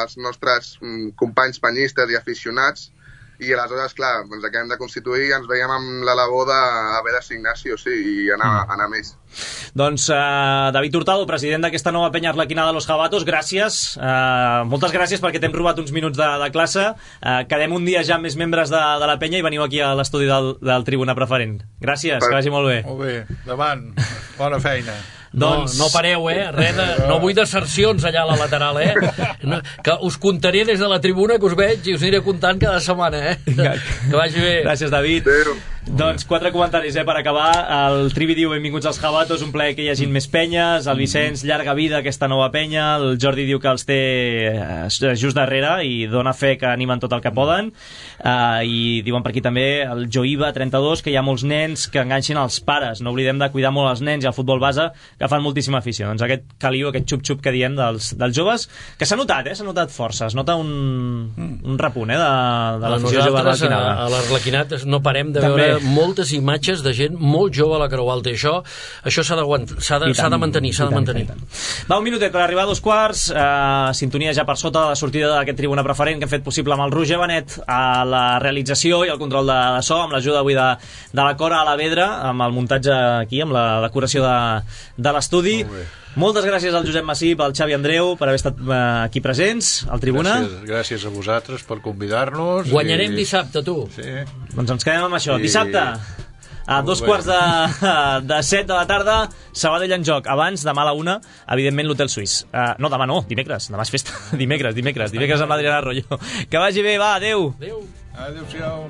Speaker 7: els nostres companys penyistes i aficionats, i aleshores, clar, ens acabem de constituir i ens veiem amb la labor d'haver de signar sí o sí i anar més.
Speaker 2: Doncs David Hurtado, president d'aquesta nova penya arlequinada de Los Jabatos, gràcies, moltes gràcies perquè t'hem robat uns minuts de classe. Quedem un dia ja amb més membres de la penya i veniu aquí a l'estudi del Tribuna Preferent. Gràcies, que vagi molt bé.
Speaker 4: Molt bé, davant, bona feina.
Speaker 3: No pareu, no vull desercions allà a la lateral, que us contaré des de la tribuna que us veig i us aniré contant cada setmana, que vagi bé.
Speaker 2: Gràcies, David. Doncs 4 comentaris per acabar. El Trivi diu benvinguts als Jabatos, un plaer que hi hagin més penyes. El Vicenç, llarga vida aquesta nova penya. El Jordi diu que els té just darrere i dona fe que animen tot el que poden. I diuen per aquí també el Joiva 32 que hi ha molts nens que enganxin els pares. No oblidem de cuidar molt els nens i el futbol base, que fan moltíssima afició. Doncs aquest caliu, aquest xup-xup que diem dels joves, que s'ha notat, s'ha notat força. Es nota un repunt de l'afició jove arlequinada.
Speaker 3: A l'Arlequinat no parem de veure moltes imatges de gent molt jove a la Creu Alta, i això s'ha de mantenir,
Speaker 2: Va, un minutet per arribar a 2:15. Sintonia ja per sota de la sortida d'aquest Tribuna Preferent que hem fet possible amb el Roger Benet a la realització i el control de so, amb l'ajuda avui de la Cora Alavedra, amb el muntatge aquí, amb la decoració de l'estudi. Moltes gràcies al Josep Massip, al Xavi Andreu per haver estat aquí presents al Tribuna.
Speaker 4: Gràcies a vosaltres per convidar-nos.
Speaker 3: Guanyarem dissabte, tu.
Speaker 4: Sí.
Speaker 2: Doncs ens quedem amb això. Dissabte a 2:15 de la tarda, Sabadell en joc. Abans, demà a la 1, evidentment l'Hotel Suís. No, demà no, dimecres. Demà és festa. Dimecres amb l'Adriana Arroyo. Que vagi bé, va, adeu.
Speaker 4: Adéu-siau.